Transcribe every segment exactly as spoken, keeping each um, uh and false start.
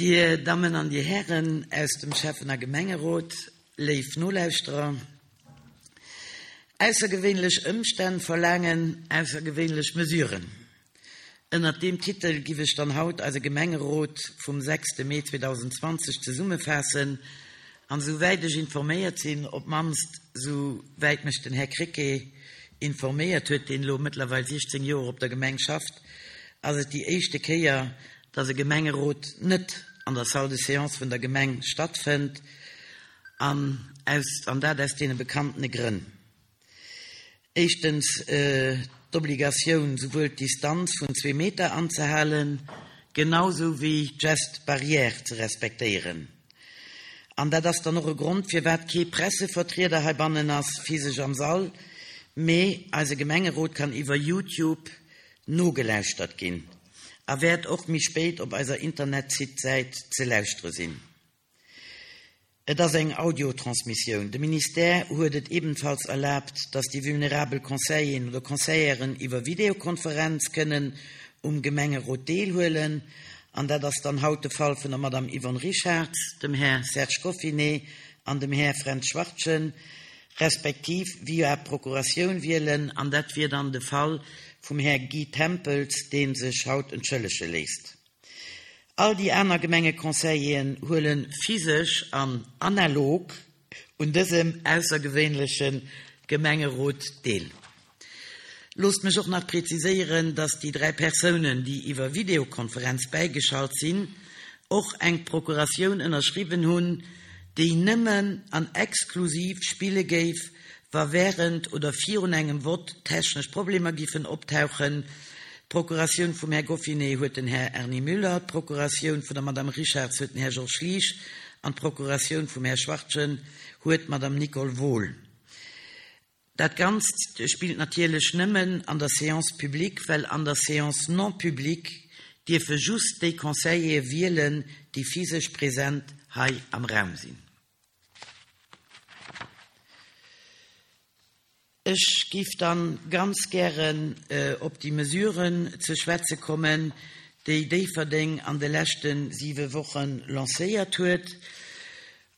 Dir Dammen an Dir Hären aus dem Schäffen a Gemengerot, léif Nolauschterer, aussergewéinlech Ëmstänn verlaangen aussergewéinlech Mesuren. Ënnert deem Titel giff ech dann haut eise Gemengerot vum sechste Mee zweedausendzwanzeg zesummefaassen an esou wäit ech informéiert sinn, op d'mannst esou wäit mech den Här Krecké informéiert huet, deen elo mëttlerweil siechzéng Joer op der Gemeng schafft, ass et déi éischte Kéier, dass e Gemengerot net an der Salle de séance vun der Gemeng stattfënnt, an aus, an dat aus deene bekanntene Grënn. Éischtens d'Obligatioun, souwuel d'Distanz vun zwee Meter anzehalen, genau sou wéi d'Gestes barrières ze respektéieren. An dat ass dann och e Grond, firwat kee Pressevertrieder heibannen ass, physesch am Sall, mee eise Gemengerot kann iwwer YouTube nogelauschtert ginn a wäert och méi spéit op eiser Internetsite-Säit ze lauschtere sinn. Et ass eng Audiotransmissioun. De Ministère huet et ebenfalls erlaabt, dass déi vulnerabel Conseilleren oder Conseilleren iwwer Videokonferenz kënnen um Gemengerot deelhuelen. An dat ass dann haut de Fall vun der Madame Yvonne Richarz, dem Här Serge Goffinet an dem Här Fränz Schwartgen, respektiv via Procuratioun wielen. An dat wier dann de Fall vum Här Guy Tempels, dee sech haut entschëllege léisst. All déi aner Gemengeconseilleren huele physesch an analog un dësem aussergewéinleche Gemengerot deel. Loosst mech och nach preziséieren, dass déi dräi Persounen, déi iwwer Videokonferenz bäigeschalt sinn, och eng Procuratioun ënnerschriwwen hunn, déi nëmmen an exklusiv spille géif, wa wärend oder virun engem Vott technesch Problemer giffen optauchen. D'Procuratioun vum Här Goffinet huet den Här Erny Müller, d'Procuratioun vun der Madame Richarz huet den Här Georges Liesch an d'Procuratioun vum Här Schwartgen huet d'Madame Nicole Wohl. Dat Ganzt spillt natierlech nëmmen an der Séance publique, well an der Séance non publique dierfe just déi Conseillere wielen, déi physesch present hei am Raum sinn. Ech giff dann ganz gären op déi Mesuren ze schwätze kommen, déi Déifferdeng an de leschte siwe Woche lancéiert huet.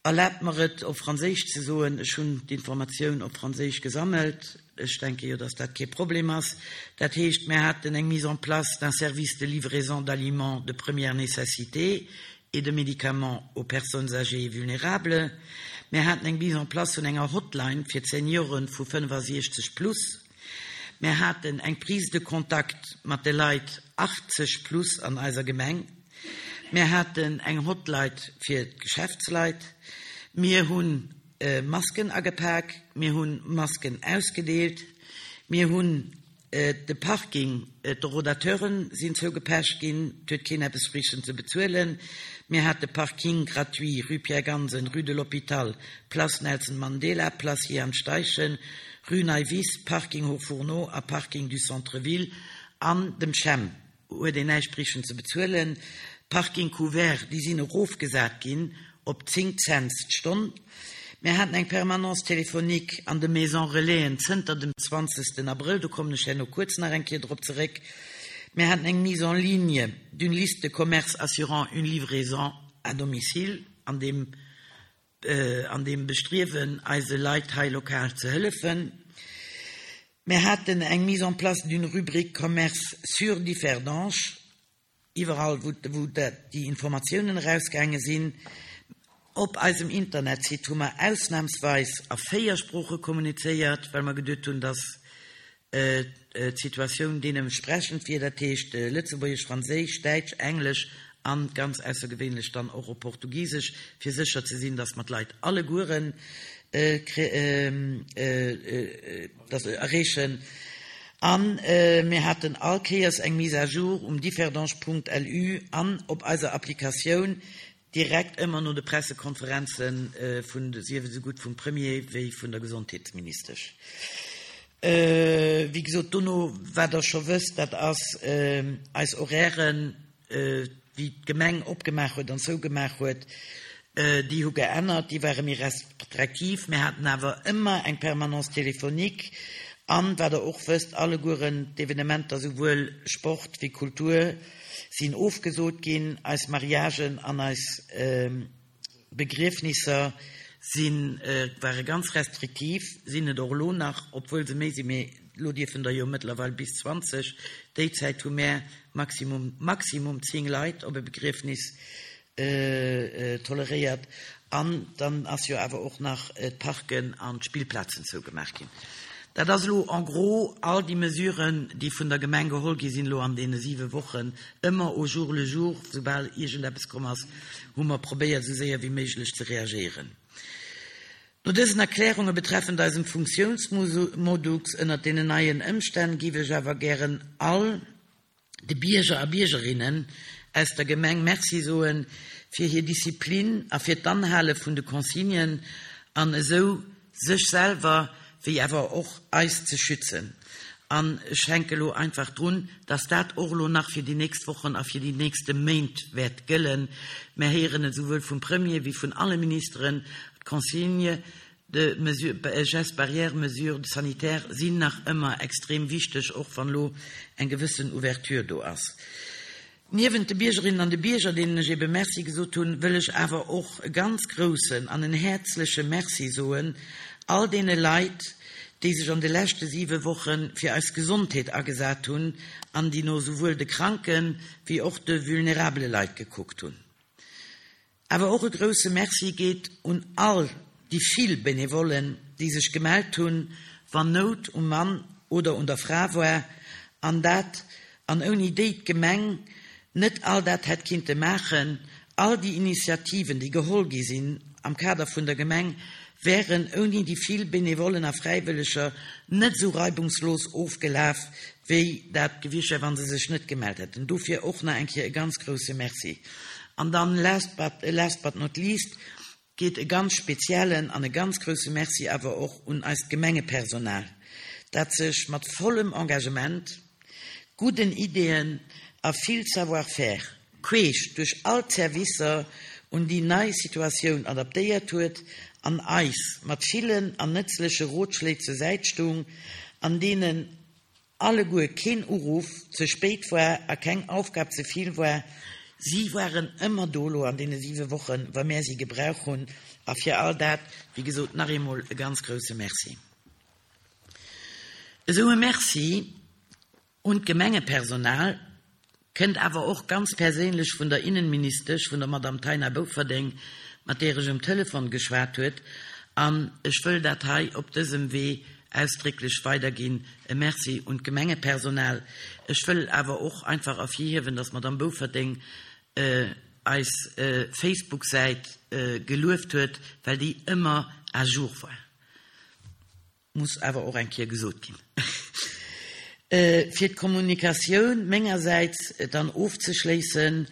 Erlaabt mer et, op Franséisch ze soen, ech hunn d'Informatioun op Franséisch gesammelt, ech denke jo, dass dat kee Problem ass. Dat heescht, mir haten eng Mise en place d'un service de livraison d'aliments de première nécessité et de médicaments aux personnes âgées et vulnérables. Mir haten eng Mise en place vun enger Hotline fir d'Senioren vu fënnefasiechzeg plus. Mir haten eng Prise de contact mat de Leit achtzeg plus an eiser Gemeng. Mir haten eng Hotline fir d'Geschäftsleit. Mir hu Masken agepak, mir hu Masken ausgedeelt, mir hunn de Parking, d'Horodateure sinn zougepecht ginn, et huet keen eppes brauchen ze bezuelen. Mir hate Parking gratuit Rue Pierre Gansen, Rue de l'Hôpital, Place Nelson Mandela, Place Jehan Steichen, Rue Neiwiss, Parking Hauts Fourneaux a Parking du Centre-Ville an dem Chem huet een näischt brauchen ze bezuelen. Parking couvert, déi sinn erofgesat ginn op zéng Cents d'Stonn. Mir haten eng Permanence téléphonique an de Maisons Relaisen zënter dem zwanzegsten Abrëll, do kommen ech herno kuerz nach eng Kéier drop zeréck. Mir haten eng Mise en ligne d'une liste de commerces assurant une livraison à domicile, an deem, an deem Bestriewen, eise Leit hei lokal ze hëllefen. Mir haten eng Mise en place d'une rubrique commerce sur Differdange, iwwerall wou, wou déi Informatiounen erausgaange sinn. Op eisem Internetsite hu mer ausnamsweis a véier Sprooche kommunizéiert, well mer geduet hunn, dass d'Situatioun deementsprechend wier, dat heescht Lëtzebuergesch, Franséisch, Däitsch, Englesch an ganz aussergewéinlech dann och op Portugisesch, fir sécher ze sinn, dass mer d'Leit allegueren erreechen. A mir haten all Kéiers eng Mise à jour um differdange punkt lu an op eiser Applikatioun, direkt ëmmer no de Pressekonferenze vun, sief esou gutt vum Premier wéi vun der Gesondheetsministesch. Wéi gesot, dono, wat Der scho wësst, dat ass eis Horairen, wéi d'Gemeng opgemaach huet an zougemaach huet, déi hu geännert, déi ware méi restriktiv. Mir haten awer ëmmer eng Permanence téléphonique an, wat Der och wësst, allegueren d'Evenementer, souwuel Sport wéi Kultur, sinn ofgesot ginn, eis Mariagen an eis Begriefnisser sinn, ware ganz restriktiv, sinn et och elo nach, obwuel se méi sinn, mee elo dierfen der jo mëttlerweil bis zwanzeg, déi Zäit hu mär maximum, maximum zéng Leit op e Begriefnis toleréiert. An dann ass jo awer och nach d'Parken an d'Spillplazen zougemaach ginn. Dat ass elo en gros all déi Mesuren, déi vun der Gemeng geholl gi sinn elo an deene siwe Wochen, ëmmer au jour le jour, soubal iergendeppes komm ass, hu mer probéiert, esou séier wéi méiglech ze reagéieren. No dësen Erklärunge betreffend eisem Funktiounsmodux ënnert deenen neien Ëmstänn géif ech awer gären all de Bierger a Biergerinnen aus der Gemeng Merci soen fir hir Disziplin a fir d'Anhale vun de Consignen an esou sech selwer wéi awer och eis ze schützen. An ech hänke elo einfach drun, dass dat och elo nach fir déi nächst Wochen a fir déi nächste Méint wäert gëllen. Mär héieren et esouwuel vum Premier wéi vun alle Ministeren, d'Consignes de mesures, gestes barrières, mesures sanitaires sinn nach ëmmer extrem wichteg, och wann elo eng gewëssen Ouverture do ass. Niewent de Biergerinnen an de Bierger, deenen ech ebe Merci gesot hunn, wëll ech awer och e ganz groussen an en häerzleche Merci soen all deene Leit, déi sech an de leschte siwe Woche fir eis Gesondheet agesat hunn an déi no souwuel de kranke wéi och de vulnerabele Leit gekuckt hunn. Awer och e grousse Merci geet un all déi vill Benevollen, déi sech gemellt hunn, wann Nout um Mann oder un der Fra war, an dat an ouni déi d'Gemeng net all dat hätt kinnte maachen. All déi Initiativen, déi geholl gi sinn am Kader vun der Gemeng, wären ouni déi vill Benevollen a Fräiwëlleger net esou reibungslos ofgelaf, wéi dat gewiescht wär, wa se sech net gemellt hätten. Dofir och nach eng Kéier e ganz grousse Merci. An dann, last but, last but not least, geet e ganz speziellen an e ganz grousse Merci awer och un eist Gemengepersonal, dat sech mat vollem Engagement, gudden Ideeën a vill Savoir-faire queesch duerch all d'Servicer un déi nei Situatioun adaptéiert huet an eis mat villen an nëtzleche Rotschléi zur Säit stoung, an deenen alleguer keen Uruff ze spéit war a keng Aufgab ze vill war. Si waren ëmmer do elo an deene siwe Wochen, wa mär si gebrauch hunn. A fir all dat, wéi gesot, nach eemol e ganz grousse Merci. Esou e Merci un d'Gemengepersonal kënnt awer och ganz perséinlech vun der Innenministesch, vun der Madame Taina Bofferding, mat där ech um Telefon geschwat huet. An ech wëll dat hei op dësem Wee ausdrécklech weiderginn, e Merci un d'Gemengepersonal. Ech wëll awer och einfach ervirhiewen, dass d'Madame Bofferding eis Facebook-Säit gelueft huet, well déi ëmmer à jour war. Muss awer och eng Kéier gesot ginn. Fir d'Kommunikatioun mengersäits dann ofzeschléissen,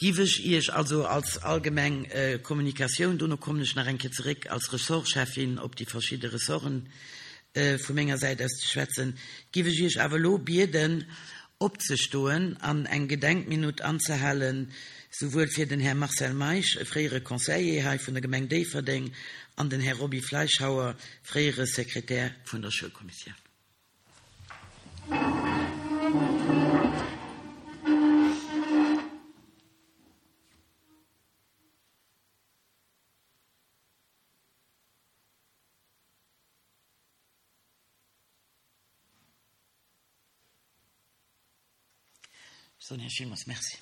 giff ech Iech also als allgemeng Kommunikatioun, dono kommen ech nach eng Kéier zeréck als Ressortcheffin op déi verschidde Ressorten vu menger Säit aus ze schwätzen, giff ech Iech awer elo bieden, opzestoen an eng Gedenkminutt anzehalen, souwuel fir den Här Marcel Meisch, e fréiere Conseiller hei vun der Gemeng Déifferdeng, an den Här Roby Fleischhauer, fréiere Sekretär vun der Schoulkommissioun. Ech soen Iech villmools Merci.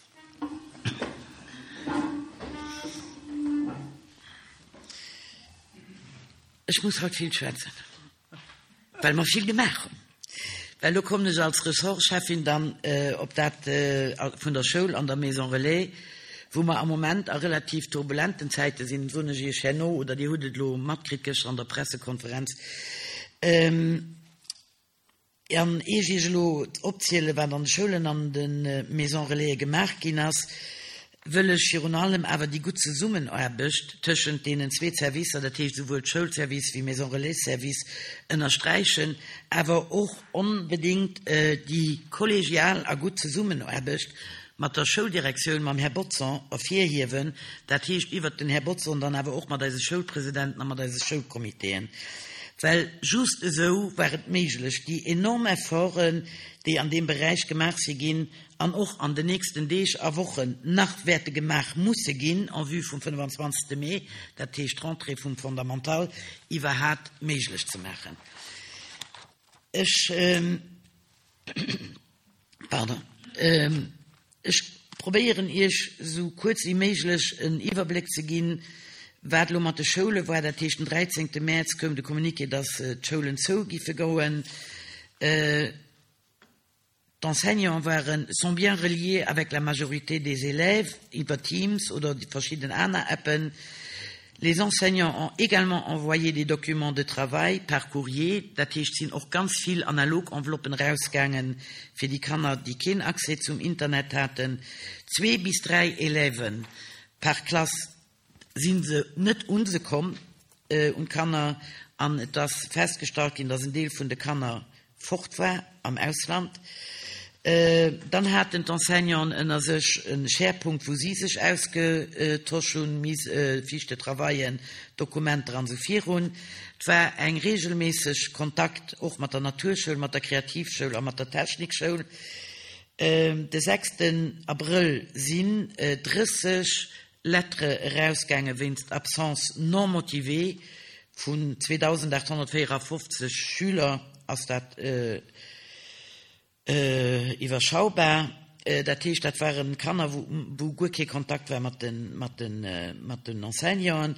Ech muss haut vill schwätzen, well mer vill gemaach hunn. Well elo kommen ech als Ressortcheffin dann op dat vun der Schoul an der Maison Relais, wou mer am Moment a relativ turbulenten Zäite sinn, soen ech Iech herno, oder Dir hutt et elo matkritt gëschter an der Pressekonferenz. An ier ech Iech elo opzielen, wat an de Schoulen an de Maisons Relaisen gemaach ginn ass, wëll ech virun allem awer déi gutt Zesummenaarbecht tëschent deenen zwee Servicer, dat heescht esouwuel d'Schoulservice wéi Maison Relais-Service, ënnersträichen, awer och onbedéngt déi kollegial a gutt Zesummenaarbecht mat der Schouldirektioun, mam Här Bodson, ervirhiewen, dat heescht iwwert den Här Bodson dann awer och mat eise Schoulpresidenten a mat eise Schoulcomitéen. Well just esou war et méiglech, déi enorm Efforten, déi an deem Beräich gemaach si ginn an och an den nächsten Deeg a Wochen nach wäerte gemaach musse ginn en vue vum fënnefanzwanzegste Mee, dat heescht d'Rentrée vum Fondamental, iwwerhat méiglech ze maachen. Ech, pardon, ech probéieren Iech esou kuerz wéi méiglech en Iwwerbléck ze ginn, wat elo mat de Schoule war. Dat heescht, den dräizéngte Mäerz koum de Communiqué, dass d'Schoulen zou giffe goen. D'Enseignants waren, sont bien reliés avec la majorité des élèves iwwer Teams oder verschidden aner Appen. Les enseignants ont également envoyé des documents de travail par courrier. Dat heescht, et sinn och ganz vill analog Enveloppen erausgaangen fir déi Kanner, déi keen Accès zum Internet haten. Zwee bis dräi Élèven par Klass si se net un se komm, un d'Kanner, an et ass festgestallt ginn, dass en Deel vun de Kanner fort war am Ausland. Dann haten d'Enseignanten ënner sech e Sharepunkt, wou si sech ausgetosch hunn, Mise, Fiches de travaillen, Dokumenter an esou virun. Et war eng reegelméisseg Kontakt och mat der Naturschoul, mat der Kreativschoul a mat der Technikschoul. De sechsten Abrëll sinn drësseg Lettere erausgaange wéinst Absence non motivée vun zweedausendachthonnertvéierafofzeg Schüler, ass dat iwwerschaubar. Dat heescht, dat ware Kanner, wou guer kee Kontakt war mat den Enseignanten.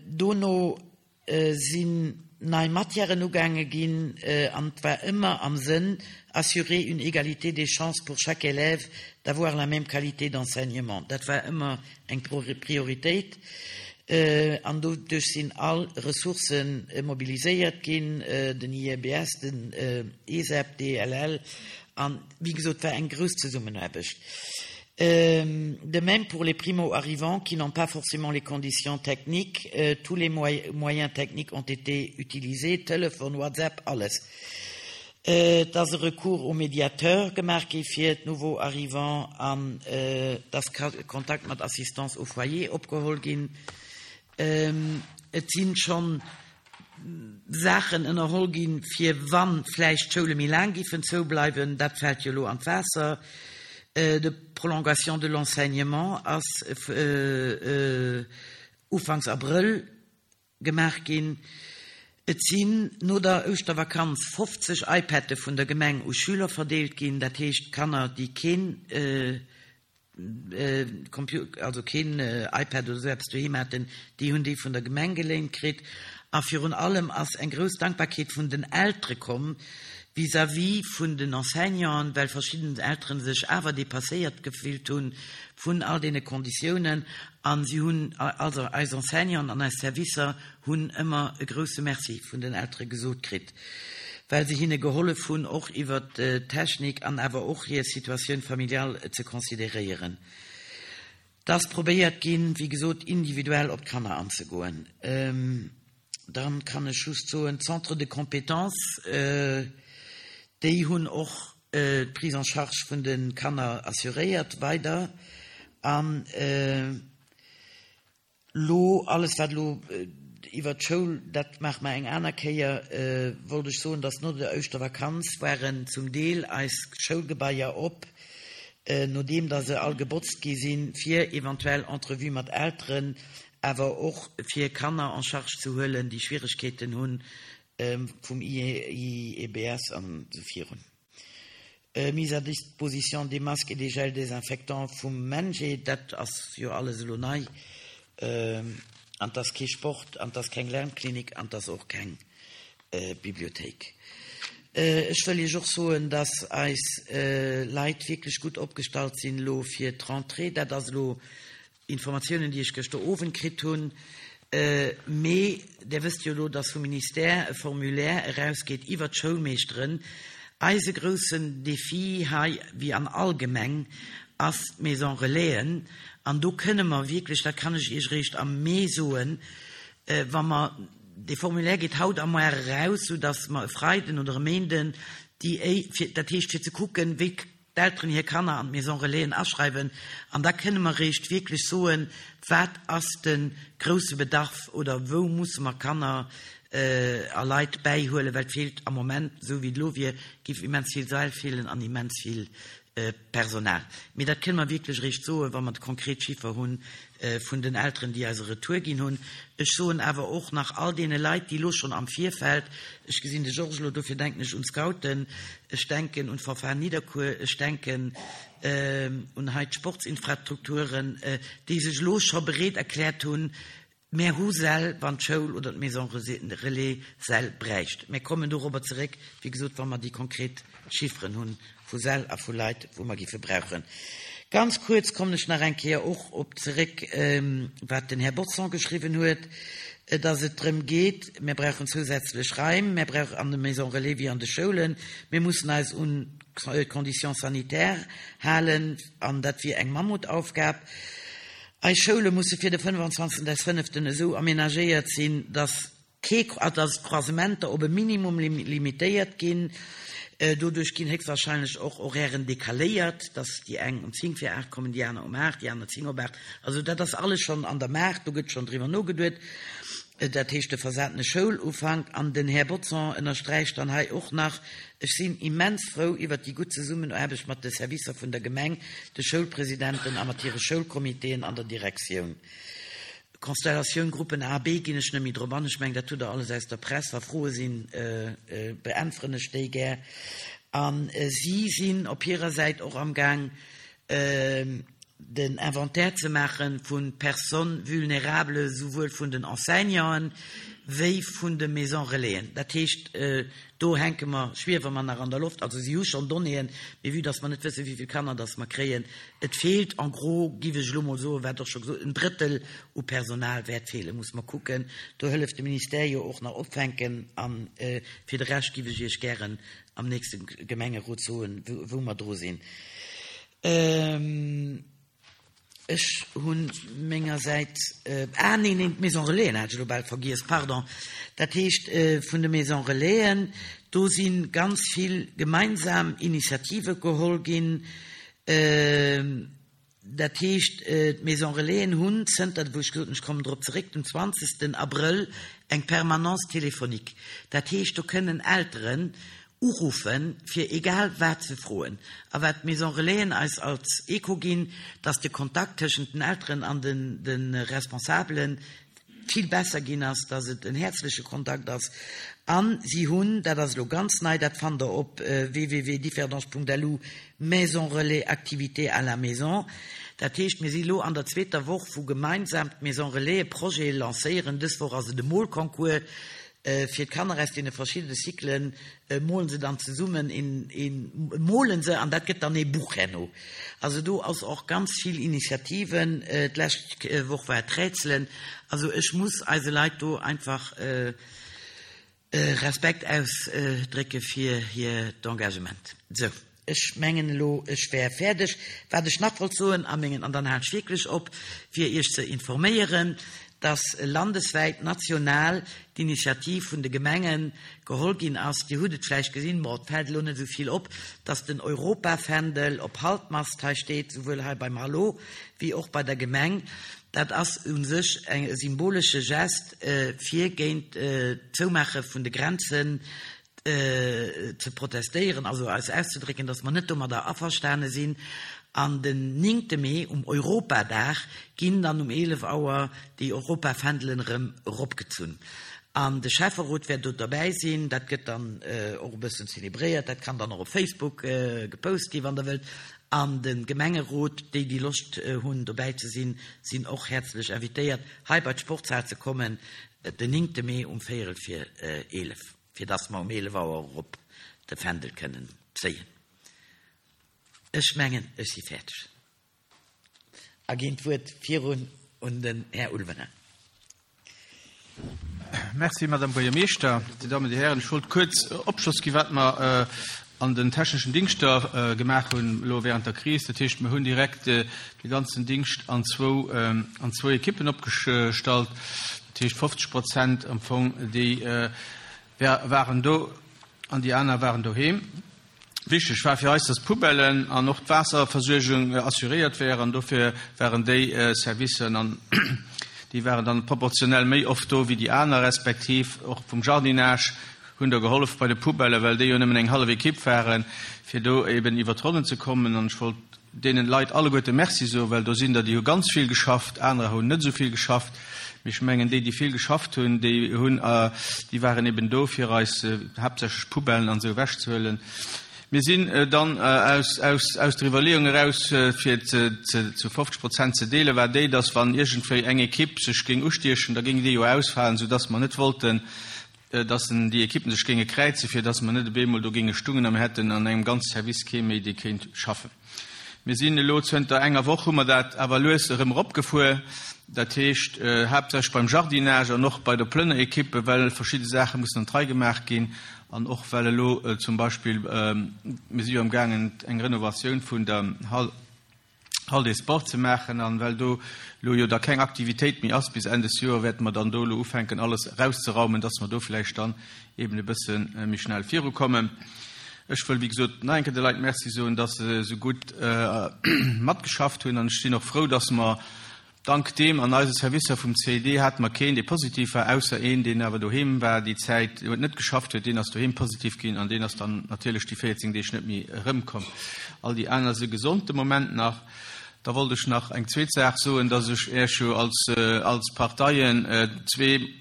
Dono sinn nei Matièren ugaange ginn an et war ëmmer am Sënn assurer une égalité des chances pour chaque élève d'avoir la même qualité d'enseignement. Dat war ëmmer eng Prioritéit an doduerch sinn all Ressourcë mobiliséiert ginn, den I E B S, den E S E P, D L L an, wéi gesot, war eng grouss Zesummenaarbecht. De même pour les primo-arrivants qui n'ont pas forcément les conditions techniques, tous les moyens techniques ont été utilisés, Telefon, WhatsApp, alles. Et ass e Recours au médiateur gemaach gi fir d'nouveaux arrivants an et ass Kontakt mat Assistance au foyer opgeholl ginn. Et sinn schonn Saachen ënnerholl ginn, fir wann vläicht d'Schoule méi laang giffen zoubleiwen, dat fält jo elo an d'Waasser. De Prolongation de l'enseignement ass ufanks Abrëll gemaach ginn. Et sinn no der Ouschtervakanz fofzeg iPad'e vun der Gemeng u Schüler verdeelt ginn, dat heescht Kanner, déi keen also keen iPad oder esou eppes doheem haten, déi hunn déi vun der Gemeng geléint kritt. A virun allem ass eng grouss Dankbarkeet vun den Eltere komm vis-à-vis vun den Enseignanten, well verschidden Eltere sech awer dépasséiert gefillt hu vun all deene Konditiounen a si hunn, also eis Enseignanten an eis Servicer hunn ëmmer e grouse Merci vun den Eltere gesot kritt, well se hinne gehollef hunn, och iwwert d'Technik an awer och hir Situatioun familiale ze consideréieren. Et ass probéiert ginn, wéi gesot, individuell op d'Kanner anzegoen. Dann kann ech just soen, d'Centres de compétences, déi hunn och d'Prise en charge vun de Kanner assuréiert weider. An elo, alles wat elo iwwert d'Schoul, dat maache mer eng aner Kéier, wollt ech soen, dass no der Ouschtervakanz waren zum Deel eis Schoulgebaier op, nodeem dass se all gebotzt gi sinn, fir eventuell Entrevuë mat Elteren, awer och fir Kanner en charge ze huelen, déi Schwieregkeeten hunn vum I E B S an esou virun. Mise à disposition des masques et des gels désinfectants vum MENJE, dat ass jo alles elo nei. An 't ass kee Sport, an 't ass keng Lernklinik, an 't ass och keng Bibliothéik. Ech wëll Iech och soen, dass eis Leit wierklech gutt opgestallt sinn elo fir d'Rentrée. Dat ass elo Informatiounen, déi ech gëschter Owend kritt hunn. Mee Dir wësst jo elo, dass vum Ministère e Formulaire erausgeet iwwert d'Schoulmeeschteren. Eise groussen Défi hei, wéi an all Gemeng, ass d'Maison Relaisen. An do kënne mer wierklech, dat kann ech Iech eréischt am Mee soen, wa mer, dee Formulaire geet haut a muar eraus, soudass mer e Freiden oder e Méinden déi, dat heescht fir ze kucken, wéi d'Elteren hir Kanner an d'Maison Relaisen aschreiwen an da kënne mer réischt wierklech soen, wat ass de grousse Bedarf oder wou musse mer Kanner a Leit bäihuelen, well et feelt am Moment, esou wéi et elo wier, géif immens vill Säll feelen an immens vill Personal. Mee dat kënne mer wierklech eréischt soen, wa mer de konkret Chiffer hu vun den Elteren, déi eis e Retour ginn hunn. Ech soen awer och nach all deene Leit, déi elo schonn am Virfeld, ech gesinn de Georges elo, dofir denken ech un d'Scouten, ech denken un d'Fanfare Nidderkuer, ech denken un hei d'Sportsinfrastrukturen, déi sech elo scho bereet erkläert hunn, Mär hu Säll, wann d'Schoul oder d'Maison Relais Säll bräicht. Mär kommen dorobber zeréck, wéi gesot, wa mer déi konkret Chifferen hu vu Säll a vu Leit, wou mer géife brauchen. Ganz kuerz kommen ech nach eng Kéier och op zeréck, wat den Här Bodson geschriwwen huet, dass et drëm geet, mär brauchen zousätzlech Raim, mär brauchen an de Maisons Relais wéi an de Schoulen, mir mussen eis un d'Conditions sanitaires halen, an dat wier eng Mammutaufgab. Eis Schoule musse fir de fënnefanzwanzegsten des fënneften esou amenagéiert sinn, dass kee, dass d'Croisementer op e Minimum limitéiert ginn. Doduerch ginn héchstwahrscheinlech och Horairen decaléiert, dass déi eng um zéng vir aacht kommen, déi aner um aacht, déi aner zéng op aacht. Also dat ass alles schonn an der Maach, do gëtt schonn driwwer nogeduet. Dat heescht de versatene Schoulufank. An den Här Bodson ënnersträicht dann hei och nach, Ech sinn immens frou iwwert déi gutt Zesummenaarbecht mat de Servicer vun der Gemeng, de Schoulpresidenten a mat hire Schoulcomitéen an der Direktioun. Constellatioun Gruppen A, B ginn ech net méi drop an. Ech mengen, dat hutt Der alles aus der Press. Wa Froe sinn, beäntweren ech déi gär. A si sinn op hirer Säit och amgaang, den Inventaire ze maache vu Personnes vulnérables, souwuel vun den Enseignanten wéi vun de Maisons Relaisen. Dat heescht, do hänke mer, schwiewe mer nach an der Loft. Also si hu schonn Donnéeën, mee vue dass mer net wëssen, wéi vill Kanner dass mer kréien, et feelt en gros, géif ech elo mol soen, wat och scho gesot, en Drëttel u Personal wäert feelen. Muss mer kucken. Do hëlleft de Ministère jo och nach opfänken. A fir de Rescht géif ech Iech gären am nächste Gemengerot soen, wou mer dru sinn. Ech hu mengersäits, ah neen, neen, d'Maison Relaisen hat ech elo bal vergiess, pardon. Dat heescht, vun de Maison Relaisen, do si ganz vill gemeinsam Initiative geholl ginn. Dat heescht, d'Maison Relaisen hunn zënter, wou ech gesot hunn, ech kommen drop zeréck, dem zwanzegsten Abrëll eng Permanence téléphonique. Dat heescht, do kënnen Elteren uruffen, fir egal wat ze froen. A wat d'Maison Relaisen eis als Echo ginn, dass de Kontakt tëschent den Elteren an de Responsabele vill besser ginn ass, dass et en häerzleche Kontakt ass. A si hunn, dat ass elo ganz nei, dat fannt Der op www.differdange.lu, Maison Relais Activités à la maison. Dat heescht, mir si elo an der zweeter Woch, wou gemeinsam d'Maison Relaise Projete lancéieren. Dës Woch ass et e Molconcours. Fir d'Kanner aus deene verschiddene Cyclen molen se dann zesummen een, een, molen se an dat gëtt dann ee Buch herno. Also do ass och ganz vill Initiativen. D'lescht Woch war et Rätselen. Also ech muss eise Leit do einfach Respekt ausdrécke fir hiert Engagement. Sou. Ech mengen elo, ech wär fäerdeg. Wat ech nach wollt soen a mengen, an dann halen ech wierklech op, fir Iech ze informéieren, dass landeswäit, national d'Initiativ vun de Gemenge geholl ginn ass, Dir hutt et vläicht gesinn, bon, et fält elo net esou vill op, dass den Europafändel op Halbmast hei steet, souwuel hei beim Hallo wéi och bei der Gemeng. Dat ass u sech e symbolesche Gest, fir géint d'Zoumaache vun de Grenzen ze protestéieren, also eis auszedrécken, dass mer net domadder averstane sinn. An den néngte Mee, um Europadag, ginn dann um eelef Auer déi Europafändelen erëm eropgezunn. An de Schäfferot wäert do derbäi sinn. Dat gëtt dann och e bëssen zelebréiert. Dat kann dann och op Facebook gepost ginn, wann Der wëllt. An de Gemengerot, déi, déi Loscht hunn, dobäi ze sinn, sinn och häerzlech invitéiert, hei bei d'Sportshal ze kommen, den néngte Mee um véierel vir eelef. Fir dass mer um eelef Auer erop de Fändel kënnen zéien. Ech mengen, ech si fäerdeg a ginn d'Wuert virun un den Här Ulverin. Merci, Madame Buergermeeschter. Dir Dammen, Dir Hären, ech wollt kuerz Opschloss gi wat mer an den techneschen Dingschter gemaach hunn elo während der Kris. Dat heescht, mer hunn direkt de ganzen Dingscht an zwou, an zwou Ekippen opgestallt. Dat heescht fofzeg Prozent am Fong, déi waren do an déi aner waren doheem. Wichteg war fir eis, dass d'Poubellen an och d'Waasserversuergung assuréiert wären. Dofir waren déi Servicen an déi waren dann proportionell méi oft do wéi déi aner, respektiv och vum Jardinage hunn der gehollef bei de Poubellen, well déi jo nëmmen eng hallef Ekipp waren, fir do eben iwwer d'Ronnen ze kommen. An ech wollt deenen Leit alleguerte Merci soen, well do sinn der, déi hu ganz vill geschafft, anerer hunn net esou vill geschafft. Mee ech mengen, déi, déi vill geschafft hunn, déi hunn, déi waren eben do, fir eis haaptsächlech d'Poubellen an esou ewechzehuelen. Mir sinn dann aus, aus, aus der Iwwerleeung eraus, fir ze, ze, zu fofzeg Prozent ze deelen, war déi, dass wann iergendwéi eng Ekipp sech géing ustiechen, da géing déi jo ausfalen, soudass mer net wollten, dass déi Ekippen sech géinge kräizen, fir dass mer net op eemol do géinge stungen a mir hätten an engem ganze Service kee méi, dee kéint schaffen. Mir sinn elo zënter enger Woch, hu mer dat awer lues erëm eropgefuer, dat heescht haaptsächlech beim Jardinage an och bei der Plënnerekippe, well verschidde Saache mussen an d'Rei gemaach ginn an och well elo zum Beispill, mir si jo amgaangen eng Renovatioun vun der Hall, Hall des Sports ze maachen an well do elo jo da keng Aktivitéit méi ass bis Enn des Joer, wäerte mer dann do elo ufänken alles erauszeraumen, dass mer do vläicht dann eben e bësse méi schnell virukommen. Ech wëll wéi gesot nach eng Kéier de Leit Merci soen, dass se esou gutt matgeschafft hunn an ech sinn och frou, dass mer dank deem an eise Servicer vum C I D hate mer keen, dee positiv war, ausser een, deen awer doheem war déi Zäit, huet net geschafft huet, deen ass doheem positiv ginn an deen ass dann natierlech déi véierzéng Deeg net méi erëmkomm. All déi aner si gesond de Moment nach. Da wollt ech nach eng zweet Saach soen, dass ech Iech jo als, als Parteien zwee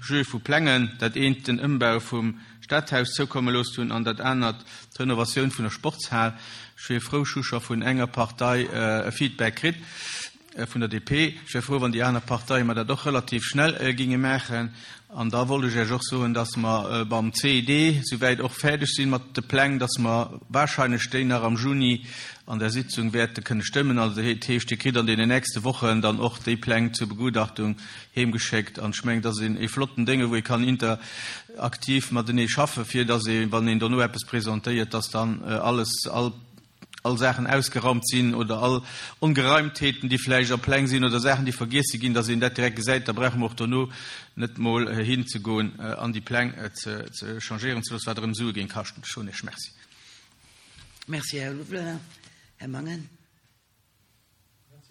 Jeux vu Plängen, dat eent den Ëmbau vum Stadhaus zoukomme loosst hunn an dat anert d'Renovatioun vun der Sportshal. Ech wier frou, ech hu scho vun enger Partei e Feedback kritt, vun der D P. Ech wier frou, wann déi aner Parteie mer dat och relativ schnell ginge maachen. An da wollt ech Iech och soen, dass mer beim C I D souwäit och fäerdeg sinn mat de Pläng, dass mer wahrscheinlech déi nach am Juni an der Sitzung wäerte kënne stëmmen. Also dat heescht, Dir kritt an deenen nächste Wochen dann och déi Pläng zur Begutachtung heemgeschéckt. An ech mengen, dat ass ee flotten Dénge, wou ee kann interaktiv matenee schaffen, fir dass ee, wann een dono eppes presentéiert, dass dann alles, all all Saachen ausgeraumt sinn oder all Ongereimtheeten, déi vläicht a Pläng sinn oder Saachen, déi vergiesse ginn, dass een dat direkt gesäit. Da brauche mer och dono net mol hinzegoen an déi Pläng ze ze changéieren ze loossen, wat erëm Sue géing kaschten. Ech soen Iech Merci. Merci, Här Louvlin. Här Mangen.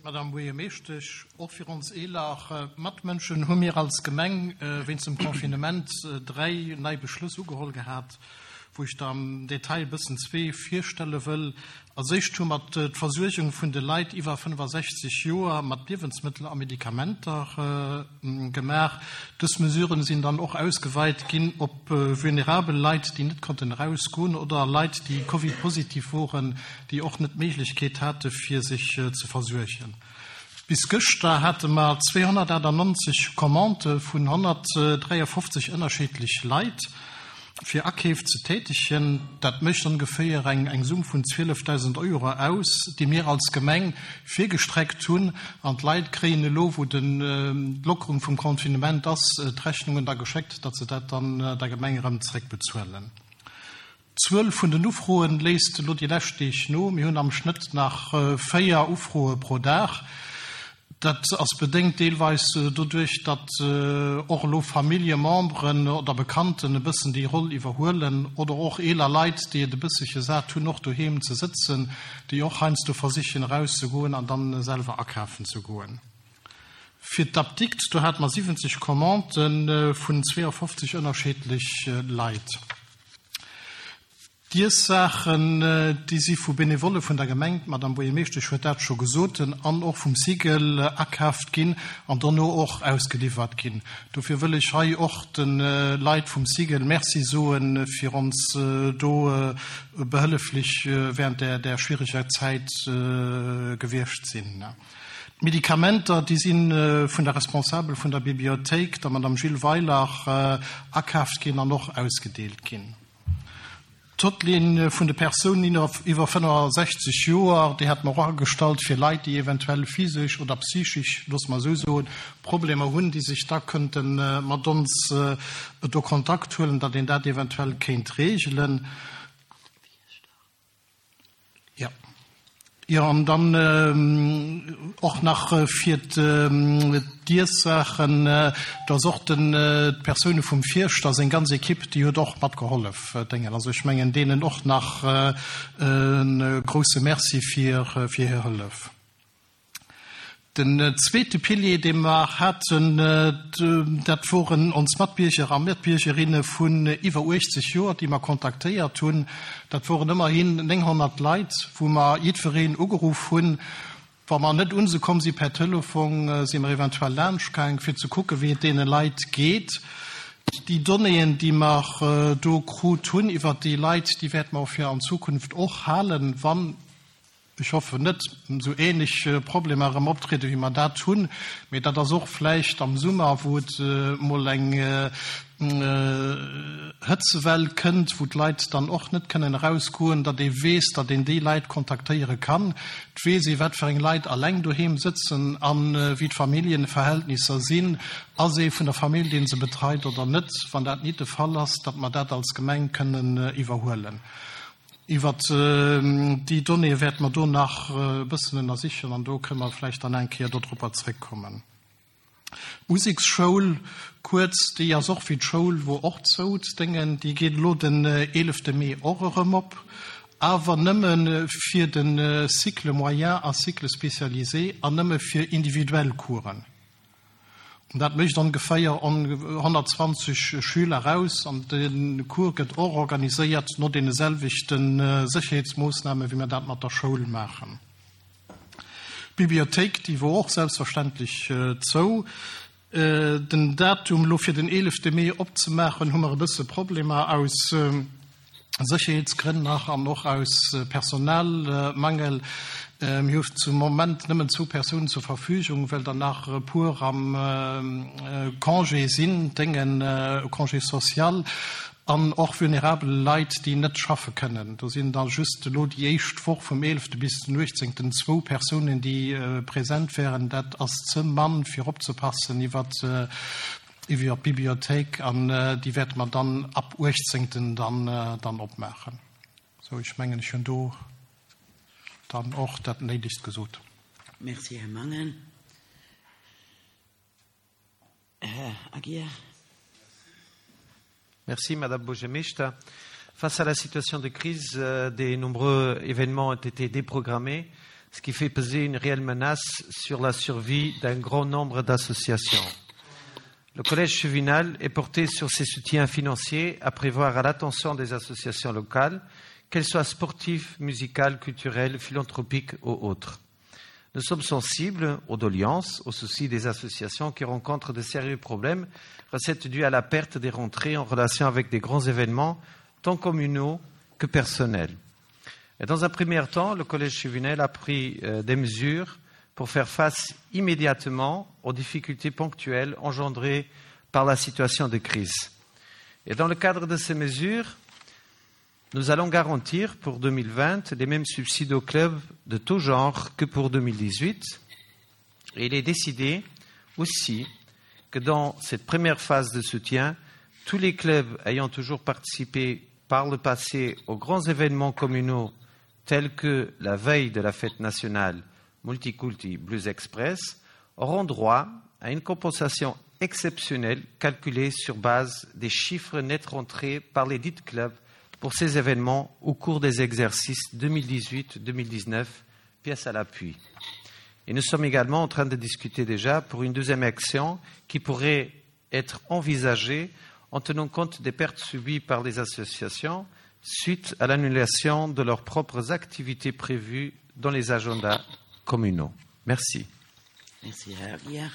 Madame Buergermeeschtesch, och fir ons eeler Matmënschen hu mir als Gemeng wéinst dem Confinement dräi nei Beschlëss ugeholl gehat, wou ech da am Detail e bëssen zwee virstelle wëll. Als éischt hu mer d'Versuergung vun de Leit iwwer fënnefasechzeg Joer mat Liewensmëttel a Medikamenter gemaach. Dës Mesuren sinn dann och ausgeweit ginn op vulnerabel Leit, déi net konnten erausgoen, oder Leit, déi Covid-positiv woren, déi och net d'Méiglechkeet hate fir sech ze versuergen. Bis gëschter hate mer zweehonnertachtannonzeg Commandë vun honnertdräiafofzeg ënnerschiddlech Leit fir Akeef ze tätegen. Dat mécht ongeféier eng eng Summ vun zwielefdausend Euro aus, déi mir als Gemeng virgestreckt hunn. An d'Leit kréien elo, wou den d'Lockerung vum Confinement ass, d'Rechnungen da geschéckt, datt se dat dann der Gemeng erëm zeréckbezuelen. D'Zuel vun den Ufroen léisst elo déi lescht Deeg no. Mir hunn am Schnëtt nach véier Ufroe pro Dag. Dat ass bedéngt deelweis doduerch, datt och elo Familljememberen oder Bekannten e bëssen déi Roll iwwerhuelen oder och eeler Leit, déi et e bësselche sat hunn, och doheem ze sëtzen, déi och heiansdo versichen erauszegoen an dann selwer akafen ze goen. Fir d'Apdikt, do hate mer siwwenzeg Commandë vun zweeafofzeg ënnerschiddlech Leit. D'Iessaachen, déi si vu Benevolle vun der Gemeng, d'Madame Buergermeeschtesch huet dat scho gesot, an och vum Cigl akaaft ginn an dono och ausgeliwwert ginn. Dofir wëll ech hei och de Leit vum Cigl Merci soen, fir ons do behëlleflech während där schwiereger Zäit gewiescht sinn. D'Medikamenter, déi si vun der Responsabel vun der Bibliothéik, der Madame Jill Weiler, akaaft ginn an och ausgedeelt ginn. D'Hotline vun de Persounen iwwer fënnefasechzeg Joer, déi hate mer och agestallt fir Leit, déi eventuell physesch oder psychesch, loosse mer esou soen, Problemer hunn, déi sech da kënnte mat ons do Kontakt huelen, datt een dat eventuell kéint regelen. Jo. Jo, an dann och nach fir d'Iessaachen, do ass och den, d'Persoune vum Fierschter, seng ganz Ekipp, déi huet och matgehollef déngen. Also ech mengen deenen och nach e grouse Merci fir hir Hëllef. Den zweete Pilier, dee mer haten, dat woren ons Matbierger a Matbiergerinne vun iwwer uechtzeg Joer, déi mer kontaktéiert hunn. Dat woren ëmmerhin nénghonnert Leit, wou mer jiddwereen ugeruff hunn. Wa mer net un se komm si per Telefon, si mer eventuell laanschtgaang, fir ze kucken, wéi et deene Leit geet. Déi Donnéeën, déi mer do krut hunn iwwert déi Leit, déi wäerte mer och fir an Zukunft och halen, wann, ech hoffen net, esou ähnlech Problemer erëm optrieden, wéi mer dat hunn. Mee dat ass och vläicht am Summer, wou et emol eng Hëtzewell kënnt, wou d'Leit dann och net kënnen erausgoen, datt ee weess, datt een déi Leit kontaktéiere kann. Et weess ee, wat fir eng Leit alleng doheem sëtzen a wéi d'Familljeverhältnisser sinn. Ass ee vun der Famill, dee se betreit oder net? Wann dat nit de Fall ass, datt mer dat als Gemeng kënnen iwwerhuelen. Iwwert déi Donnéeë wäerte mer do nach e bëssen ënnersichen an do kënne mer vläicht dann eng Kéier dodropper zréckkommen. D'Museksschoul, kuerz, déi ass och wéi d'Schoul, wor och zou, d'Déngen, déi geet elo den eelefte Mee och erëm op, awer nëmme fir de Cycle moyen a Cycle spécialisé an nëmme fir individuell Coursen. An dat mécht ongeféier honnertzwanzeg Schüler aus. An de Cours gëtt och organiséiert no deene selwechte Sécherheetsmoossname wéi mer dat mat der Schoul maachen. D'Bibliothéik, déi wor och selbstverständlech zou. Den Datum elo fir den eelefte Mee opzemaachen, hu mer e bësse Problemer aus Sécherheetsgrënn nach an och aus Personalmangel. Mir hu zum Moment nëmmen zwou Persounen zur Verfügung, well der nach e puer am Congé sinn, déngen, Congé social, an och vulnerabel Leit, déi net schaffe kënnen. Do sinn da just elo déi éischt Woch vum eelefte bis den uechtzéngten zwou Persounen, déi present wären. Dat ass ze mann, fir opzepassen iwwert iwwer d'Bibliothéik, an déi wäerte mer dann ab uechtzéngten dann dann opmaachen. Sou, ech mengen, ech hunn do dann och dat Néidegst gesot. Merci, Här Mangen. Här Aguiar. Merci, Madame Buergermeeschter. Face à la situation de crise, des nombreux événements ont été déprogrammés, ce qui fait peser une réelle menace sur la survie d'un grand nombre d'associations. Le collège chevinal est porté sur ses soutiens financiers à prévoir à l'attention des associations locales, qu'elles soient sportives, musicales, culturelles, philanthropiques ou autres. Nous sommes sensibles aux doléances, aux soucis des associations qui rencontrent de sérieux problèmes, recettes dues à la perte des rentrées en relation avec des grands événements, tant communaux que personnels. Et dans un premier temps, le Collège Chevinel a pris euh, des mesures pour faire face immédiatement aux difficultés ponctuelles engendrées par la situation de crise. Et dans le cadre de ces mesures, nous allons garantir pour deux mille vingt les mêmes subsides aux clubs de tout genre que pour deux mille dix-huit. Et il est décidé aussi que dans cette première phase de soutien, tous les clubs ayant toujours participé par le passé aux grands événements communaux tels que la veille de la fête nationale Multiculti Blues Express auront droit à une compensation exceptionnelle calculée sur base des chiffres nets rentrés par les dits clubs pour ces événements au cours des exercices deux mille dix-huit deux mille dix-neuf, pièce à l'appui. Et nous sommes également en train de discuter déjà pour une deuxième action qui pourrait être envisagée en tenant compte des pertes subies par les associations suite à l'annulation de leurs propres activités prévues dans les agendas communaux. Merci. Merci, Herr Aguiar.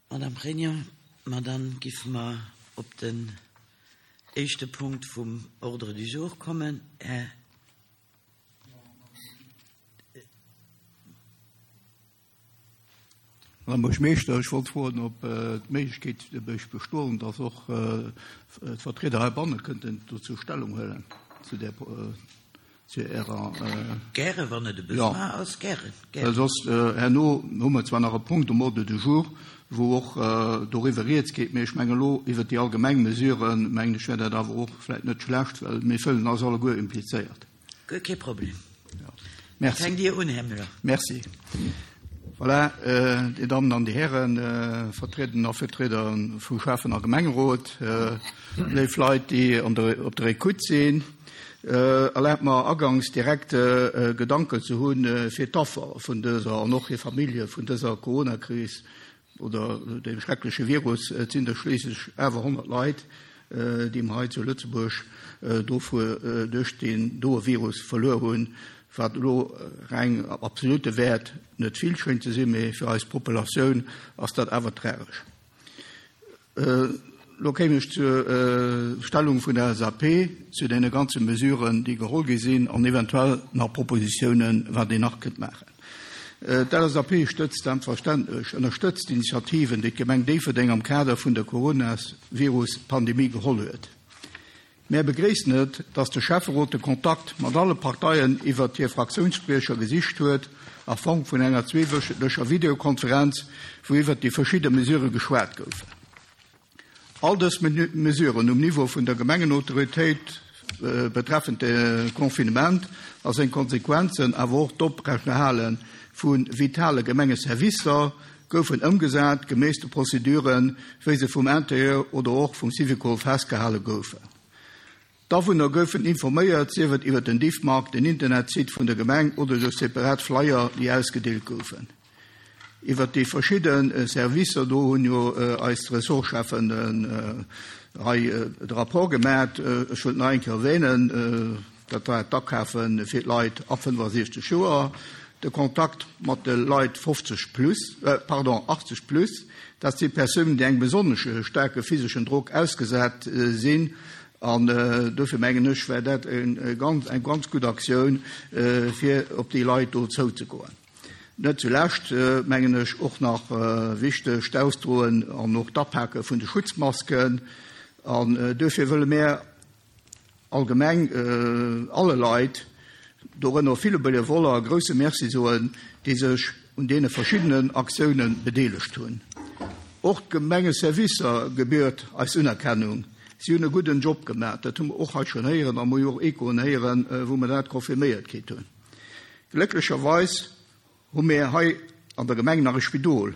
Madame Regnier, Madame Giffmer, op den éischte Punkt vum Ordre du jour kommen. Här Madame Buergermeeschter, ech wollt froen, ob d'Méiglechkeet bestoen, dass och d'Vertrieder heibanne kënnten dozou Stellung huelen, zu der, zu Ärer, Gäre, wann et e Besoin Ja. ass, gäre, gäre. Well soss, herno hu mer zwar nach e Punkt um Ordre du jour, wou och doriwwer rieds geet, mee ech menge lo iwwer déi allgemeng Mesuren, mengen ech, wär dat awer och vläicht net schlecht, well mir fëllen eis alleguer implizéiert. Guer kee Problem. Ja. Merci. Fänkt Dir un, Här Müller. Merci. Voilà, äh, déi Dammen an déi Hären, äh, Vertriederinnen a Vertrieder vu Schäffen- a Gemengerot, äh, léif Leit, déi an der, op der Ecoute sinn, äh, erlaabt mer agangs direkt äh, Gedanken ze hunn äh, fir d'Affer vun dëser an och hir Famillje vun dëser Corona-Kris oder dem schreckleche Virus. Et sinn der schliisslech awer honnert Leit, äh, déi mer hei zu Lëtzebuerg äh, dofir äh, duerch deen doe Virus verluer hunn, wat elo reng absolute Wäert net vill schéngt ze sinn, mee fir eis Populatioun ass dat awer tragesch. Äh, lo kéim ech zur äh, Stellung vun der L S A P zu deene ganze Mesuren, déi geholl gi sinn an eventuell nach Propositiounen, wat een nach kënnt maachen. Äh, D'L S A P stëtzt selbstverständlech, ënnerstëtzt d'Initiativen, déi d'Gemeng Déifferdeng am Kader vun der Coronavirus-Pandemie geholl huet. Mir begréissen et, dass de Schäfferot de Kontakt mat alle Parteien iwwer hir Fraktiounsspriecher gesicht huet, a Form vun enger zweewöchentlecher Videokonferenz, wou iwwer déi verschidde Mesure geschwat goufen. All dës Mesuren um Niveau vun der Gemengenautoritéit äh, betreffend de Confinement a seng Konsequenzen, awer och d'Oprechterhale vu vitale Gemengeservicer goufen ëmgesat geméiss de Prozeduren, wéi se vum Interieur oder och vum Syvicol festgehale goufen. D'Awunner goufen informéiert, sief et iwwer den Diffmag, den Internetsite vun der Gemeng oder duerch separat Flyer, déi ausgedeelt goufen. Iwwer déi verschidde äh, Servicer do hunn jo äh, eis Ressortcheffen äh, hei äh, de Rapport gemaach, äh, ech wëll nach eng Kéier erwänen, äh, dat war d'Akafe fir d'Leit ab fënnefasechzeg Joer, de Kontakt mat de Leit fofzeg plus, äh, pardon, achtzeg plus, dat si Persounen, déi engem besonnesch staarke physeschen Drock ausgesat äh, sinn, an äh, dofir mengen ech wär dat eng ganz, eng ganz gutt Aktioun äh, fir op déi Leit do zouzegoen. Net zulescht äh, mengen ech och nach äh, wichteg d'Ausdroen an och d'Apake vun de Schutzmasken an äh, dofir wëlle mir allgemeng äh, alle Leit, dorënner ville Benevoller, grousse Merci soen, déi sech un deene verschiddenen Aktioune bedeelegt hunn. Och d'Gemengeservicer gebiert eis Unerkennung. Si hunn e gudden Job gemaach, dat hu mer och haut schonn héieren, a mer och Echoen héieren, äh, wou mer dat confirméiert kritt hunn. Glécklecherweis hu mir hei an der Gemeng nach e Spidol.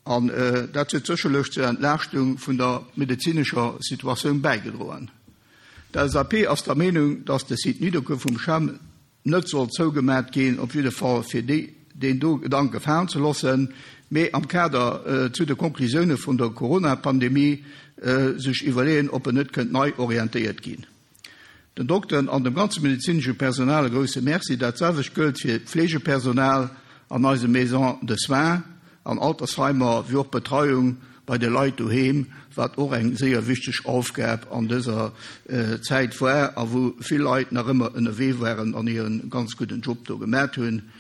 An äh, dat huet sécherlech zur Entlaaschtung vun der medezinescher Situatioun bäigedroen. D'L S A P ass der Meenung, dass de Site Nidderkuer vum CHEM net soll zougemaach ginn, op jidde Fall fir déi, deen do Gedanke falen ze loossen, mee am Kader äh, zu de Konklusioune vun der Corona-Pandemie äh, sech iwwerleeën, ob en net kënnt nei orientéiert ginn. Den Dokteren an dem ganze medezinesche Personal e grousse Merci, dat selwecht gëllt fir d'Fleegepersonal an eise Maisons de soins, an Altersheimer, wéi och Betreiung bei de Leit doheem, wat och eng séier wichteg Aufgab an dëser äh, Zäit war, a wou vill Leit nach ëmmer ënnerwee waren an hire ganz gudden Job do gemaach hunn,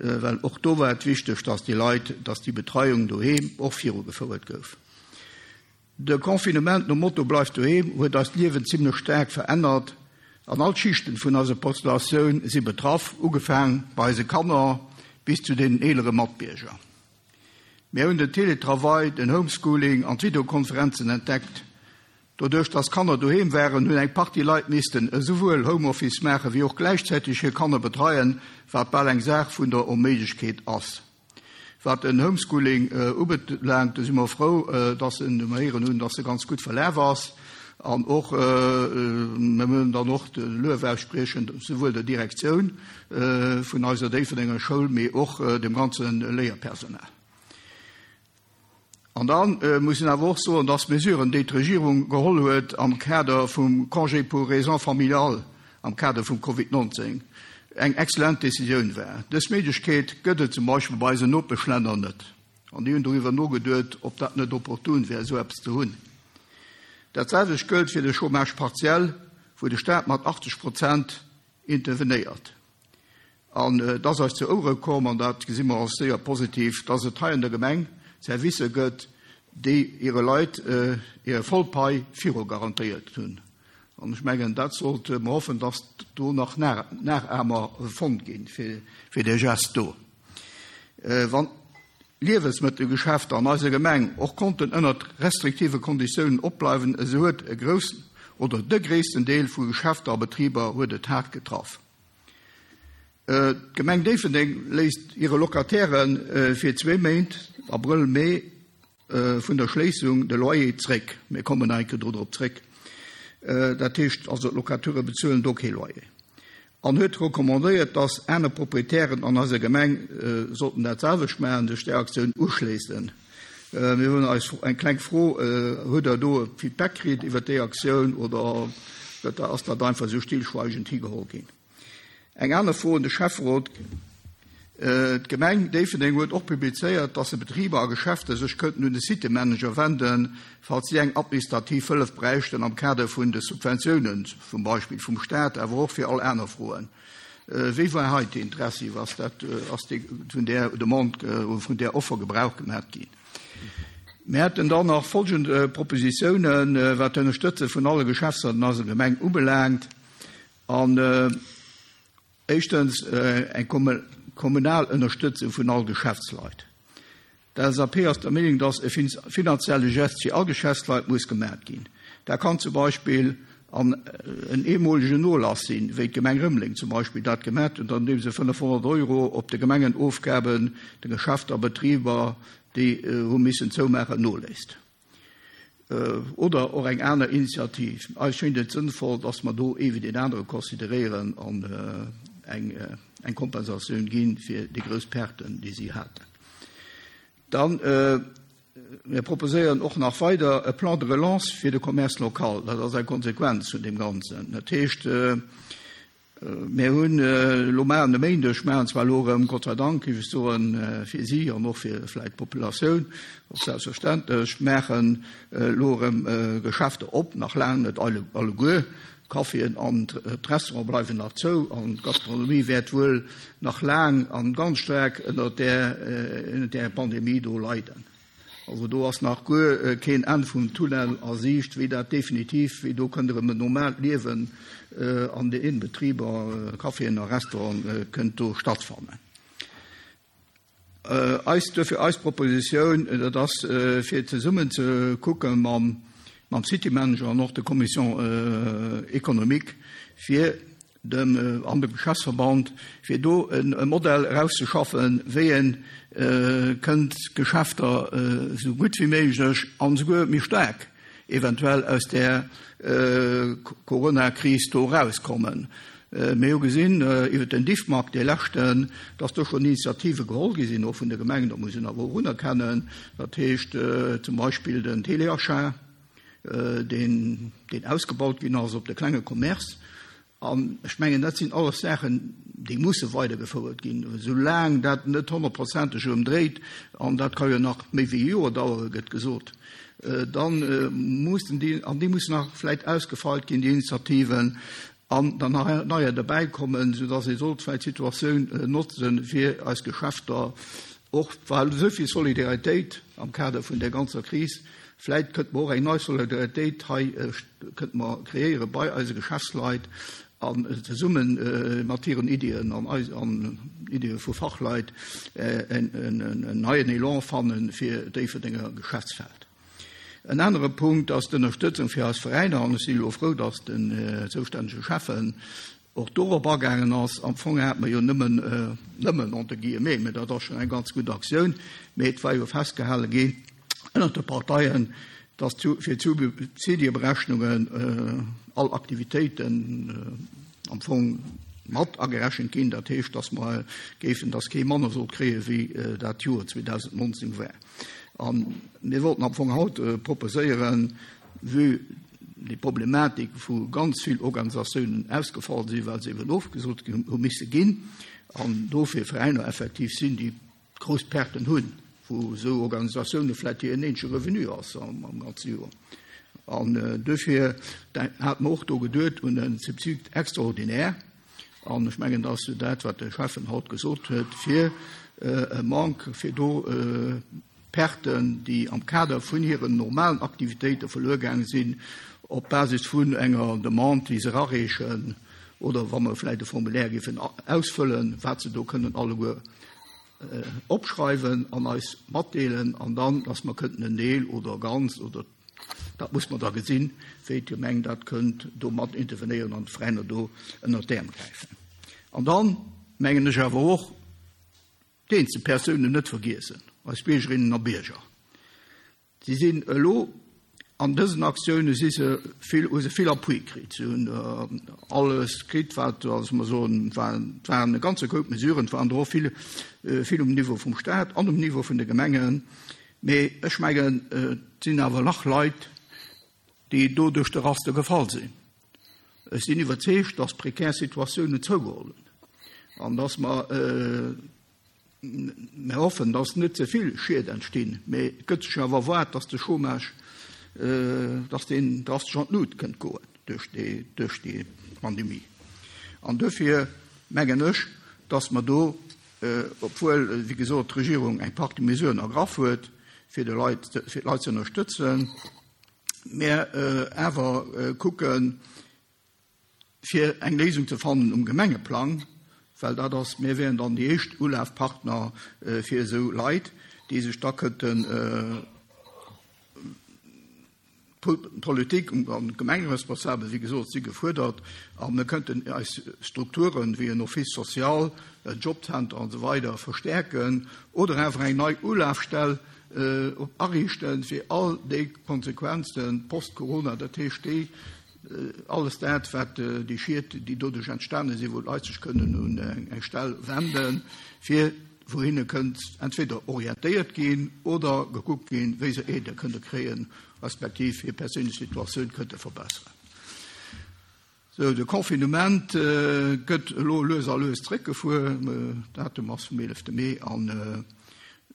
äh, well och do war et wichteg, dass déi Leit, dass déi Betreiung doheem och virugefouert gouf. De Confinement nom Motto Bleif doheem huet eist Liewen zimmlech staark verännert. An all Schichten vun eiser Populatioun si betraff, ugefaange bei eise Kanner bis zu den eelere Matbierger. Mir hunn den Teletravail, den Homeschooling an d'Videokonferenzen entdeckt. Doduerch, dass Kanner doheem waren, hunn eng Partie Leit missten esouwuel Homeoffice maache wéi och gläichzäiteg hir Kanner betreien, wat bal eng Saach vun der Onméiglechkeet ass. Wat den Homeschooling äh, ubelaangt, do si mer frou, äh, dass en mer héieren hunn, dass e ganz gutt verlaf ass. An och äh, mir wëllen dann och de Luef ausspriechen, souwuel der Direktioun äh, vun eiser Déifferdenger Schoul, mee och äh, dem ganze Léierpersonal. An dann äh, muss een awer och soen, dass Mesuren, déi d'Regierung geholl huet am Kader vum Congé pour raisons familiales, am Kader vum Covid neunzéng, eng exzellent Decisioun war. Dës Méiglechkeet gëtt et zum Beispill bei eisen Nopeschlänner net. An déi hunn doriwwer nogeduecht, ob dat net opportun wär, sou eppes ze hunn. Dat selwecht gëllt fir de Chômage partiel, wou de Staat mat achtzeg Prozent intervenéiert. An äh, dat ass eis zu Ouere komm, an dat gesi mer als séier positiv, dass et hei an der Gemeng Servicer gëtt, déi hire Leit äh, hir voll Pai viru garantéiert hunn. An ech mengen, dat sollte mer hoffen, dass do nach Nachahmer fonnt ginn fir, fir de Gest do. Äh, wann Liewensmëttelgeschäfter an eiser Gemeng och konnten ënner restriktive Konditiounen opbleiwen, esou huet e groussen oder de gréissten Deel vu Geschäfter a Betriber huet et haart getraff. D'Gemeng Déifferdeng léisst hire Locatairen fir zwee Méint, Abrëll, Mee, vun der Schléissung de Loyer zréck. Mir kommen nach eng Kéier do drop zréck. Dat heescht also, d'Locateure bezuelen do kee Loyer. An huet recommandéiert, dass aner Proprietären an eiser Gemeng sollten dat selwecht maachen, sech där Aktioun uschléissen. Mir hunn eis eng kleng Fro, Hutt Der do e Feedback kritt iwwert déi Aktioun oder ass dat einfach esou stillschweigend higeholl ginn? Eng aner Fro un de Schäfferot, D'Gemeng Déifferdeng huet och publizéiert, dass se Betriber a Geschäfter sech kënnten un de Citymanager wenden, falls si eng administrativ Hëllef bräichten am Kader vun de Subventiounen, zum Beispill vum Staat, awer och fir all aner Froen. Wéi war hei d'Interessi? Ass dat, ass déi, vun där Demande oder vun där Offer Gebrauch gemat ginn? Mir hätten dann nach folgend Propositiounen, wat d'Ënnerstëtze vun alle Geschäftsleit an eiser Gemeng ubelaangt. An éischtens eng kommunal Ënnerstëtzung vun all Geschäftsleit. D'LSAP ass der Meenung, dass e finanzielle Gest fir all Geschäftsleit muss gemat ginn. Dat kann zum Beispill an en eemolegen Nolass sinn, wéi d'Gemeng Rëmeleng zum Beispill dat gemat huet, andeem se fënnefhonnert Euro op de Gemengenofgaben de Geschäfter a Betriber, déi hu missen zoumaachen, noléisst. Oder och eng aner Initiativ. Eis schéngt et sënnvoll, dass mer do ee wéi deen anere consideréieren an eng eng Kompensatioun gi fir déi grouss Perten, déi si haten. Dann, mir proposéieren och nach weider e Plan de relance fir de Commerce local. Dat ass eng Konsequenz vun deem Ganzen. Dat heescht, mir hunn elo maachen e Méindeg, maachen zwar elo erëm, Gott sei Dank, géif ech soen, fir si an och fir vläicht d'Populatioun, och selbstverständlech, maachen elo erëm Geschäfter op, nach laang net alleguer. D'Caféen an d'Restaurante bleiwen nach zou an d'Gastronomie wäert wuel nach laang an ganz staark ënnert där, ënnert där Pandemie do leiden. Also do ass nach guer keen Enn vum Tunnel a Siicht, wéi dat definitiv, wéi do kënnt erëm en normaalt Liewen an den Betriber, Caféen a Restauranten kënnt do stattfannen. Eis, duerfir eis Propositioun, dat ass fir zesummen ze kucke mam, mam City Manager an och der Commission économique, fir dem an dem Geschäftsverband, fir do e Modell erauszeschaffen, wéi ee kënnt d'Geschäfter esou gutt wéi méiglech an esouguer méi staark eventuell aus där Coronakris do erauskommen. Mir hu gesinn iwwer den Diffmag, dee leschten, dass do schonn Initiative geholl gi sinn, och vun de Gemengen, dat muss een awer och unerkennen, dat heescht zum Beispill den Téléachat, deen ausgebaut ginn ass op de klenge Commerce. An ech mengen, dat sinn alles Saachen, déi musse weidergefouert ginn, soulaang dat net honnertprozenteg erëm dréit, an dat ka jo nach méi wéi e Joer dauere, gëtt gesot, da mussen déi, an déi mussen nach vläicht ausgefeilt ginn, déi Initiativen, an dann nach neier derbäikommen, soudass ee sollt vläicht d'Situatioun notzen, fir eis Geschäfter och, well esou vill Solidaritéit am Kader vun där ganzer Kris, vläicht kënnte mer och eng nei Solidaritéit hei kënnte mer kreéiere bei eise Geschäftsleit an zesumme mat hiren Iddien an eis an Iddie vu Fachleit en neien Elan fanne fir Déifferdenger Geschäftsfeld. En anere Punkt ass d'Ënnerstëtzung fir eis Veräiner, an ech si elo frou, datt den zoustännege Schäffen och dorop agaangen ass. Am Fong hate mer jo nëmmen, nëmmen entre guillemets, mä dat ass schonn eng ganz gutt Aktioun, mä et war jo festgehale ginn ënnert de Parteien, datt fir d'Subsidieberechnungen all Aktivitéiten am Fong mat agerechent ginn. Dat heescht, datt mer géifen, datt kee manner sollt kréie wéi dat Joer zweedausendnonzéng war. A mir wollten am Fong haut proposéieren, vue déi Problematik vu ganz vill Organisatiounen ausgefall sinn, well se eben ofgesot hu misse ginn, an dofir Veräiner effektiv sinn, déi grouss Perten hunn, wou esou Organisatioune vläicht hiren eenzege Revenu ass am ganze Joer. An dofir hate mer och do geduet un e Subside extraordinaire, an ech mengen, dat ass jo dat, wat de Schäffen haut gesot huet, fir e Manque, fir do Perten, déi am Kader vun hiren normalen Aktivitéite verluer gaange sinn, op Basis vun enger Demande, déi se erareechen, oder wa mer vläicht e Formulaire géifen ausfëllen, wat se do kënnen alleguer opschreiwen an eis matdeelen, an dann, dass mer kënnten en Deel oder ganz, oder dat muss mer da gesinn, wéi d'Gemeng dat kënnt do mat intervenéieren an d'Veräiner do ënnert d'Äerm gräifen. An dann, mengen ech awer och, d'eenzel Persounen net vergiessen, eis Biergerinnen a Bierger. Si sinn elo an dësen Aktioune si se vill, hu se vill Appui kritt. Si hunn alles kritt, wat, also mer soen, waren, et waren e ganze Koup Mesuren, et waren der och vill, vill um Niveau vum Stat an um Niveau vun de Gemengen. Mee ech mengen, et sinn awer nach Leit, déi do duerch de Raster gefall sinn. Ech sinn iwwerzeegt, dass prekär Situatiounen zougeholl hunn an dass mer, Mir hoffen, dass net ze vill Schied entstinn, mee et gëtt sech awer erwaart, dass de Chômage, dass deen drastesch an d'Lut kënnt goen duerch déi, duerch déi Pandemie. An duerfir mengen ech, dass mer do, obwuel, wéi gesot, d'Regierung eng Partie Mesuren ergraff huet, fir de Leit, fir d'Leit ze ënnerstëtzen, mer awer kucken, fir eng Léisung ze fannen um Gemengeplang, well dat ass, mir wären dann déi éischt Ulafpartner fir esou Leit, déi sech da kënnten d'Politik an d'Gemengeresponsabel, wéi gesot, si gefuerdert, a mir kënnten eis Strukturen, wéi en Office social, en Jobcenter an esou weider verstärken oder awer eng nei Ulafstell ariichten, fir all déi Konsequenzen post-Corona, dat heescht déi, Alles dat, wat déi Schied, déi doduerch entstane sinn, wou d'Leit sech kënnen un eng Stell wenden, fir wou hinne kënnt entweder orientéiert ginn oder gekuckt ginn, wéi se Aidë kënne kréien, respektiv hir perséinlech Situatioun kënnte verbesseren. Sou, de Confinement gëtt elo lues a lues zréckgefuer. Datum ass vum eelefte Mee an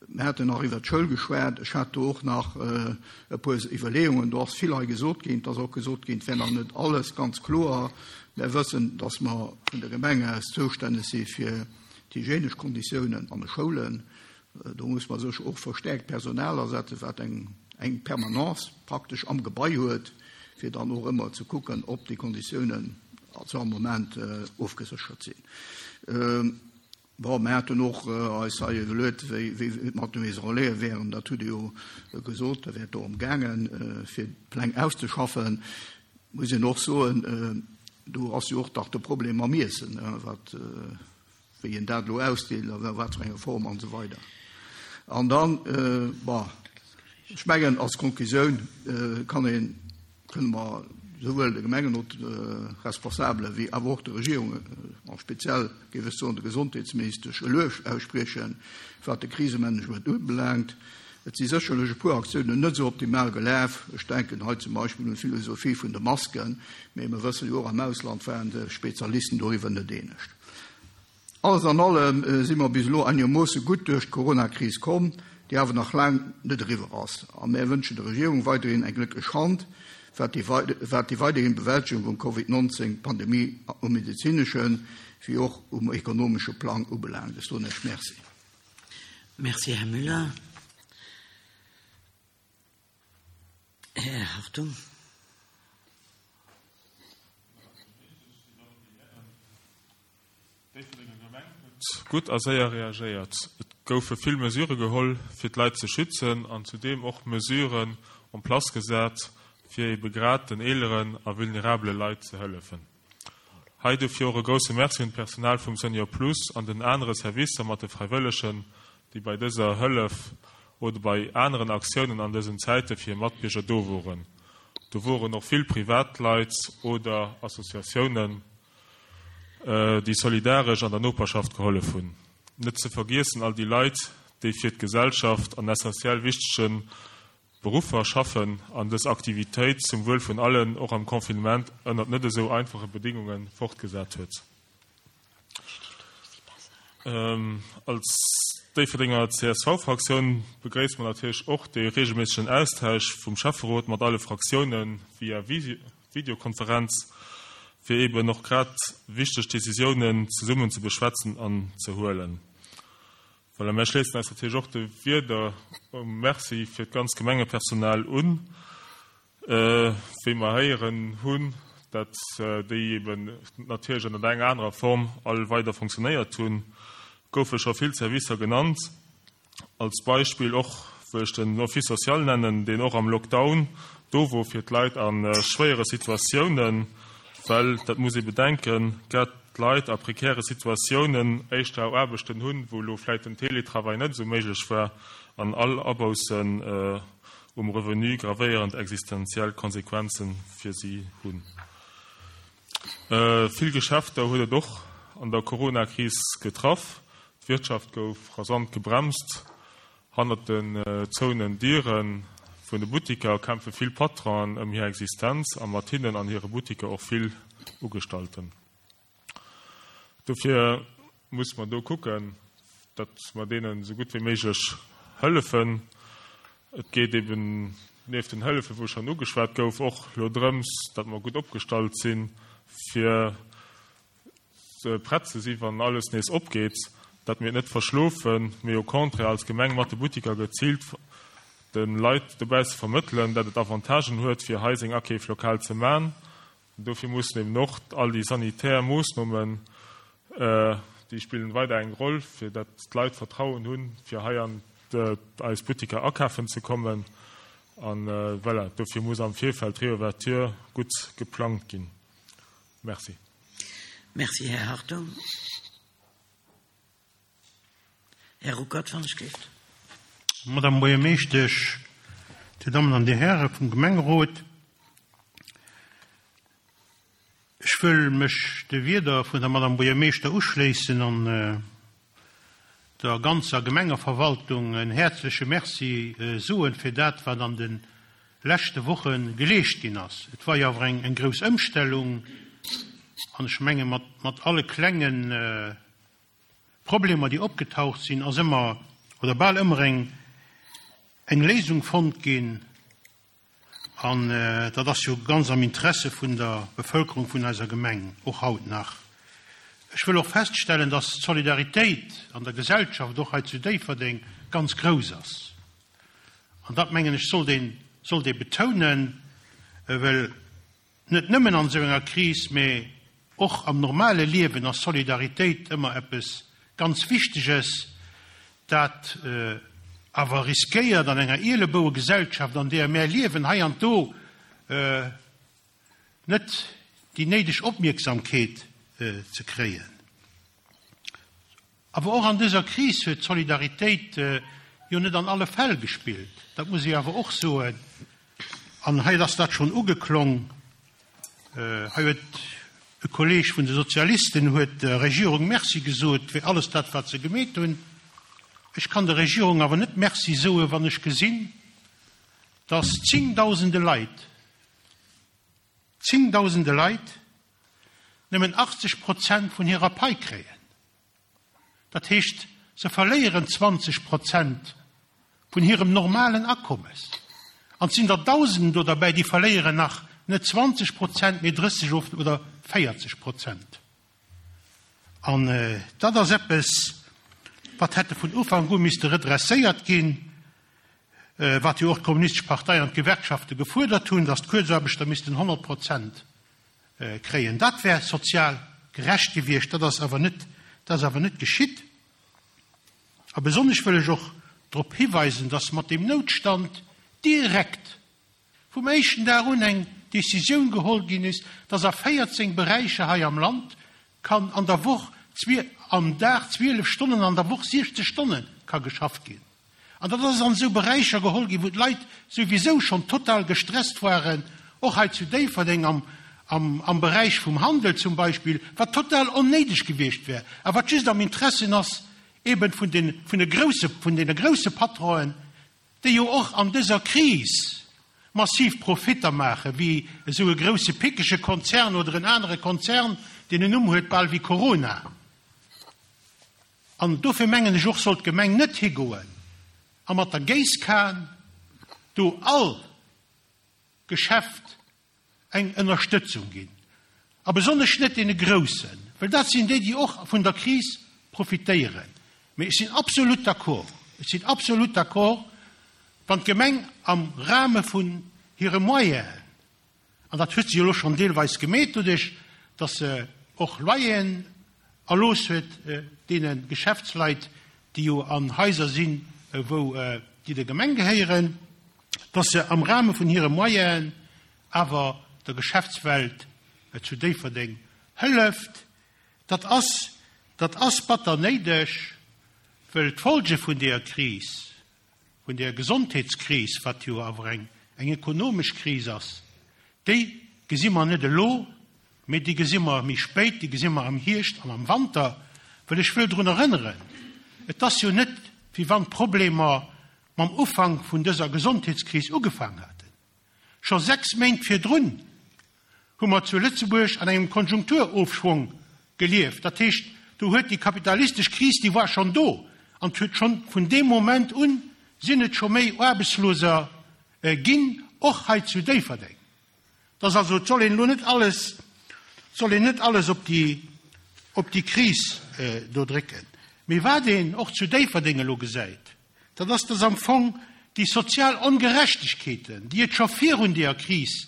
Mir haten nach iwwert d'Schoul geschwat. Ech hat do och nach e puer Iwwerleeungen. Do ass vill hei gesot ginn. Et ass och gesot ginn, et wär nach net alles ganz kloer. Mir wëssen, dass mer vun der Gemeng aus zoustänneg si fir d'hygienesch Konditiounen an de Schoulen. Do muss mer sécher och verstärkt Personal asetzen, wat eng, eng Permanence praktesch am Gebai huet, fir dann och ëmmer ze kucken, ob déi Konditiounen zu all Moment ofgeséchert sinn. Bon, mir haten och eis hei iwwerluet, wéi et mat de Maisons Relais wären. Dat hutt Dir jo gesot, da wär et dorëm gaangen, fir d'Pläng auszeschaffen. Muss een och soen, do ass jo och dach de Problem mam Iessen, wat, wéi een dat elo ausdeelt a wat fir enger Form an esou weider. An dann, bon, ech mengen, als Konklusioun kann een, kënne mer souwuel de Gemengenresponsabele wéi awer och der Regierung, a speziell géif ech soen der Gesondheetsministesch, e Luef ausspriechen, wat de Krisemanagement ubelaangt. Et si sécherlech e puer Aktiounen net esou optimal gelaf. Ech denken hei zum Beispill un d'Philosophie vun de Masken, mee mir wësse jo och, am Ausland waren sech Spezialisten doriwwer net eenegt. Alles an allem si mer bis elo einegermoosse gutt duerch d'Coronakris komm, déi awer nach laang net eriwwer ass. A mär wënschen der Regierung weiderhin eng glécklech Hand, wat déi weiderhin Bewältegung vum Covid neunzehn Pandemie um medezineschen wéi och um ekonomesche Plang ubelaangt. Ech soen Iech Merci. Merci, Här Müller. Här Hartung. D'Déifferdenger Gemeng huet gutt a séier reagéiert. Et goufe vill Mesurë geholl, fir d'Leit ze schützen an zudeem och Mesuren en place gesat, fir ebe grad den eeleren a vulnerabele Leit ze hëllefen. Hei dofir och e grousse Merci un d'Personal vum Senior Plus an den anere Servicer mat de Fräiwëllegen, déi bei dëser Hëllef oder bei aneren Aktiounen an dësen Zäite fir hir Matbierger do woren. Do woren och vill Privatleit oder Associatiounen, déi solidaresch an der Noperschaft gehollef hunn. Net ze vergiessen all déi Leit, déi fir d'Gesellschaft an essentiell wichtege Beruffer schaffen an dës Aktivitéit zum Wuel vun allen och am Confinement ënnert net esou einfache Bedingunge fortgesat huet. Als Déifferdenger C S V-Fraktioun begréisse mer natierlech och de reegelméissegen Austausch vum Schäfferot mat alle Fraktioune via Videokonferenz, fir eben och grad wichteg Decisiounen zesummen ze beschwätzen an ze huelen. Voilà, mir schléissen eis natierlech och de Wierder um Merci fir d'ganz Gemengepersonal un, wéi mer héieren hunn, dat déi eben natierlech ënner enger anerer Form all weider fonctionnéiert hunn, goufe scho vill Servicer genannt. Als Beispill och wëll ech den Office social nennen, deen och am Lockdown do wor fir d'Leit a schwéiere Situatiounen, well, dat muss ee bedenken, grad d'Leit a prekäre Situatiounen éischter Aarbechten hunn, wou elo vläicht den Teletravail net esou méiglech war, an all Aboussen um Revenu gravéierend existenziell Konsequenze fir si hunn. Vill Geschäfter huet et och an der Coronakris getraff. D'Wirtschaft gouf rasant gebremst. Hannert den zouenen Diere vun de Buttiker kämpfe vill Patronen ëm hir Existenz a mat hinnen an hire Buttiker och vill Ugestallten. Dofir muss mer do kucken, datt mer deenen esou gutt wéi méiglech hëllefen. Et geet eben nieft den Hëllefen, wou schonn ugeschwat gouf, och elo drëms, datt mer gutt opgestallt sinn, fir prett ze sinn, wann alles nees opgeet, datt mir et net verschlofen, mee au contraire als Gemeng mat de Buttiker geziilt de Leit dobausse vermëttelen, datt et Avantagen huet, fir hei seng Akeef lokal ze man. Dofir mussen eben och all déi sanitär Moossnomen, déi spillen weider eng Roll, fir datt d'Leit Vertrauen hunn, fir hei an eis Buttiker akafen ze kommen. An voilà, dofir muss am Virfeld d'Reouverture gutt geplangt ginn. Merci. Merci, Här Hartung. Här Ruckert van der Stift. Madame Buergermeeschtesch, Dir Dammen an Dir Häre vum Gemengerot, ech wëll mech de Wierder vun der Madame Buergermeeschter uschléissen an der ganzer Gemengeverwaltung en häerzleche Merci soen fir dat, wat an de leschte Woche geleescht ginn ass. Et war jo awer eng grouss Ëmstellung an ech menge mat, mat alle klenge Problemer, déi opgetaucht sinn, ass ëmmer oder bal ëmmer eng, eng Léisung fonnt ginn. An dat ass jo ganz am Interesse vun der Bevëlkerung vun eiser Gemeng, och haut nach. Ech wëll och feststellen, dass d'Solidaritéit an der Gesellschaft, och hei zu Déifferdeng, ganz grouss ass. An dat, mengen ech, sollt een, sollt ee betounen, well net nëmmen an esou enger Kris, mä och am normale Liewen ass Solidaritéit ëmmer eppes ganz Wichteges, dat awer riskéiert an enger Ielebouegesellschaft, an deeër mär liewen, hei an do net déi néideg Opmierksamkeet ze kréien. Awer och an dëser Kris huet d'Solidaritéit jo net an alle Fäll gespillt. Dat muss ee awer och soen. An hei ass dat schonn ugeklong. Hei huet e Kolleeg vun de Sozialisten huet der Regierung Merci gesot fir alles dat, wat se gemeet hunn. Ech kann der Regierung awer net Merci soen, wann ech gesinn, dass zéngdausende Leit, zéngdausende Leit nëmmen achtzeg Prozent vun hirer Pai kréien. Dat heescht, se verléieren zwanzeg Prozent vun hirem normalen Akommes. An et sinn der Dausenden do derbäi, déi verléieren nach net zwanzeg Prozent, mee drësseg oder véierzeg Prozent. An dat ass eppes, wat hätte vun Ufank u misste redresséiert ginn, wat jo och d'Kommunistesch Partei an d'Gewerkschafte gefuerdert hunn, datt d'Kuerzaarbechter missten honnert Prozent kréien. Dat wär sozial gerecht gewiescht, dat ass awer net, dat ass awer net geschitt. A besonnesch wëll ech och drop hiweisen, datt mat deem Noutstand direkt vum éischten Dag un eng Decisioun geholl ginn ass, datt a véierzéng Beräicher hei am Land kann an der Woch am Dag zwielef Stonnen, an der Woch siechzeg Stonne ka geschafft ginn. An dat ass an esou Beräicher geholl ginn, wou d'Leit souwisou schonn total gestresst waren, och hei zu Déifferdeng am, am, am Beräich vum Handel zum Beispill, wat total onnéideg gewiescht wär, a wat just am Interessen ass eben vun den, vun de grousse, vun deene grousse Patronen, déi jo och an dëser Kris massiv Profitter maachen, wéi esou e grousse pickege Konzern oder en anere Konzern, deen en Numm huet bal wéi Corona. An dofir mengen ech och, soll d'Gemeng net higoen a mat der Géisskan do all Geschäft eng Ënnerstëtzung ginn. A besonnesch net deene Groussen, well dat sinn déi, déi och vun der Kris profitéieren. Mee ech sinn absolut d'accord, ech sinn absolut d'accord, wann d'Gemeng am Rahme vun hire Moyenen, an dat huet se jo elo schonn deelweis gemeet doduerch, datt se och Loyeren erlooss huet deene Geschäftsleit, déi jo an Haiser sinn, wou déi der Gemeng gehéieren, datt se am Rahme vun hire Moyenen awer der Geschäftswelt zu Déifferdeng hëlleft. Dat ass, dat ass batter néideg, well d'Folge vun der Kris, vun der Gesondheetskris, wat jo awer eng, eng ekonomesch Kris ass, déi gesi mer net elo, mee déi gesi mer méi spéit, déi gesi mer am Hierscht an am Wanter, well ech wëll drun erënneren, et ass jo net, wéi wann d'Problemer mam Ufank vun dëser Gesondheetskris ugefaangen haten. Scho sechs Méint virdrun hu mer zu Lëtzebuerg an engem Konjunkturofschwong gelieft. Dat heescht, do huet déi kapitalistesch Kris, déi war schonn do, an et huet schonn vun deem Moment un sinn et scho méi Aarbechtsloser ginn, och hei zu Déifferdeng. Dass also, et soll een elo net alles, et soll een net alles op déi, op déi Kris do drécken. Mee wat een och zu Déifferdeng elo gesäit, dat ass, dass am Fong déi sozial Ongerechtegkeeten, déi et scho virun deeër Kris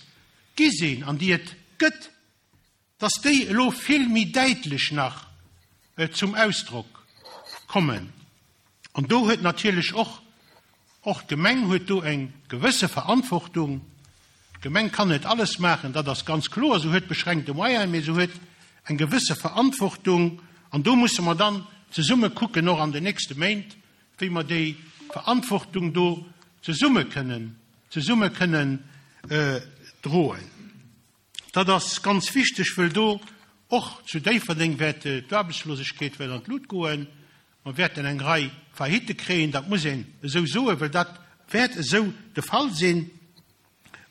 gi sinn an déi et gëtt, dass déi elo vill méi däitlech nach zum Ausdrock kommen. An do huet natierlech och, och d'Gemeng huet do eng gewësse Verantwortung. D'Gemeng kann net alles maachen, dat ass ganz kloer, se huet beschränkte Moyenen, mee se huet eng gewësse Verantwortung. An do musse mer dann zesumme kucken, och an den nächste Méint, wéi mer déi Verantwortung do zesumme kënnen, zesumme kënnen droen. Dat ass ganz wichteg, wëll do och zu Déifferdeng wäert d'Aarbechtslosegkeet wäert an d'Lut goen. Mer wäerten eng Rei Faillitte kréien, dat muss een esou soen, well dat wäert esou de Fall sinn.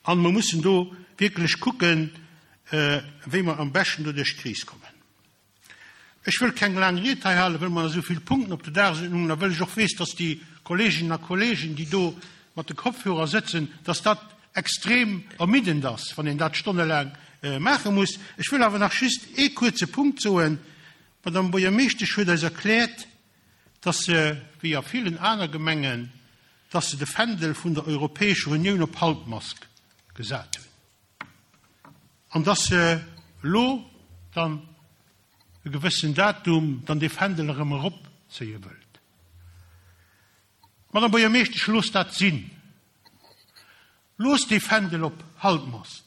An mer mussen do wierklech kucken, wéi mer am beschten do duerch d'Kris kommen. Ech wëll keng laang Ried hei halen, well mer esou vill Punkten op der Dagesordnung hunn a wëll ech och weess, dass déi Kolleeginnen a Kolleegen, déi do mat de Kopfhörer sëtzen, dass dat extrem ermiddend ass, wann een dat stonnelaang maache muss. Ech wëll awer nach just ee kuerze Punkt soen. D'Madame Buergermeeschtesch huet eis erkläert, dass se, wéi a villen aner Gemengen, dass se de Fändel vun der Europäescher Unioun op Halbmast gesat hunn an dass se elo dann e gewëssen Datum dann dee Fändel erëm eropzéie wëllt. Madame Buergermeeschtesch, loosst dat sinn. Loosst dee Fändel op Halbmast.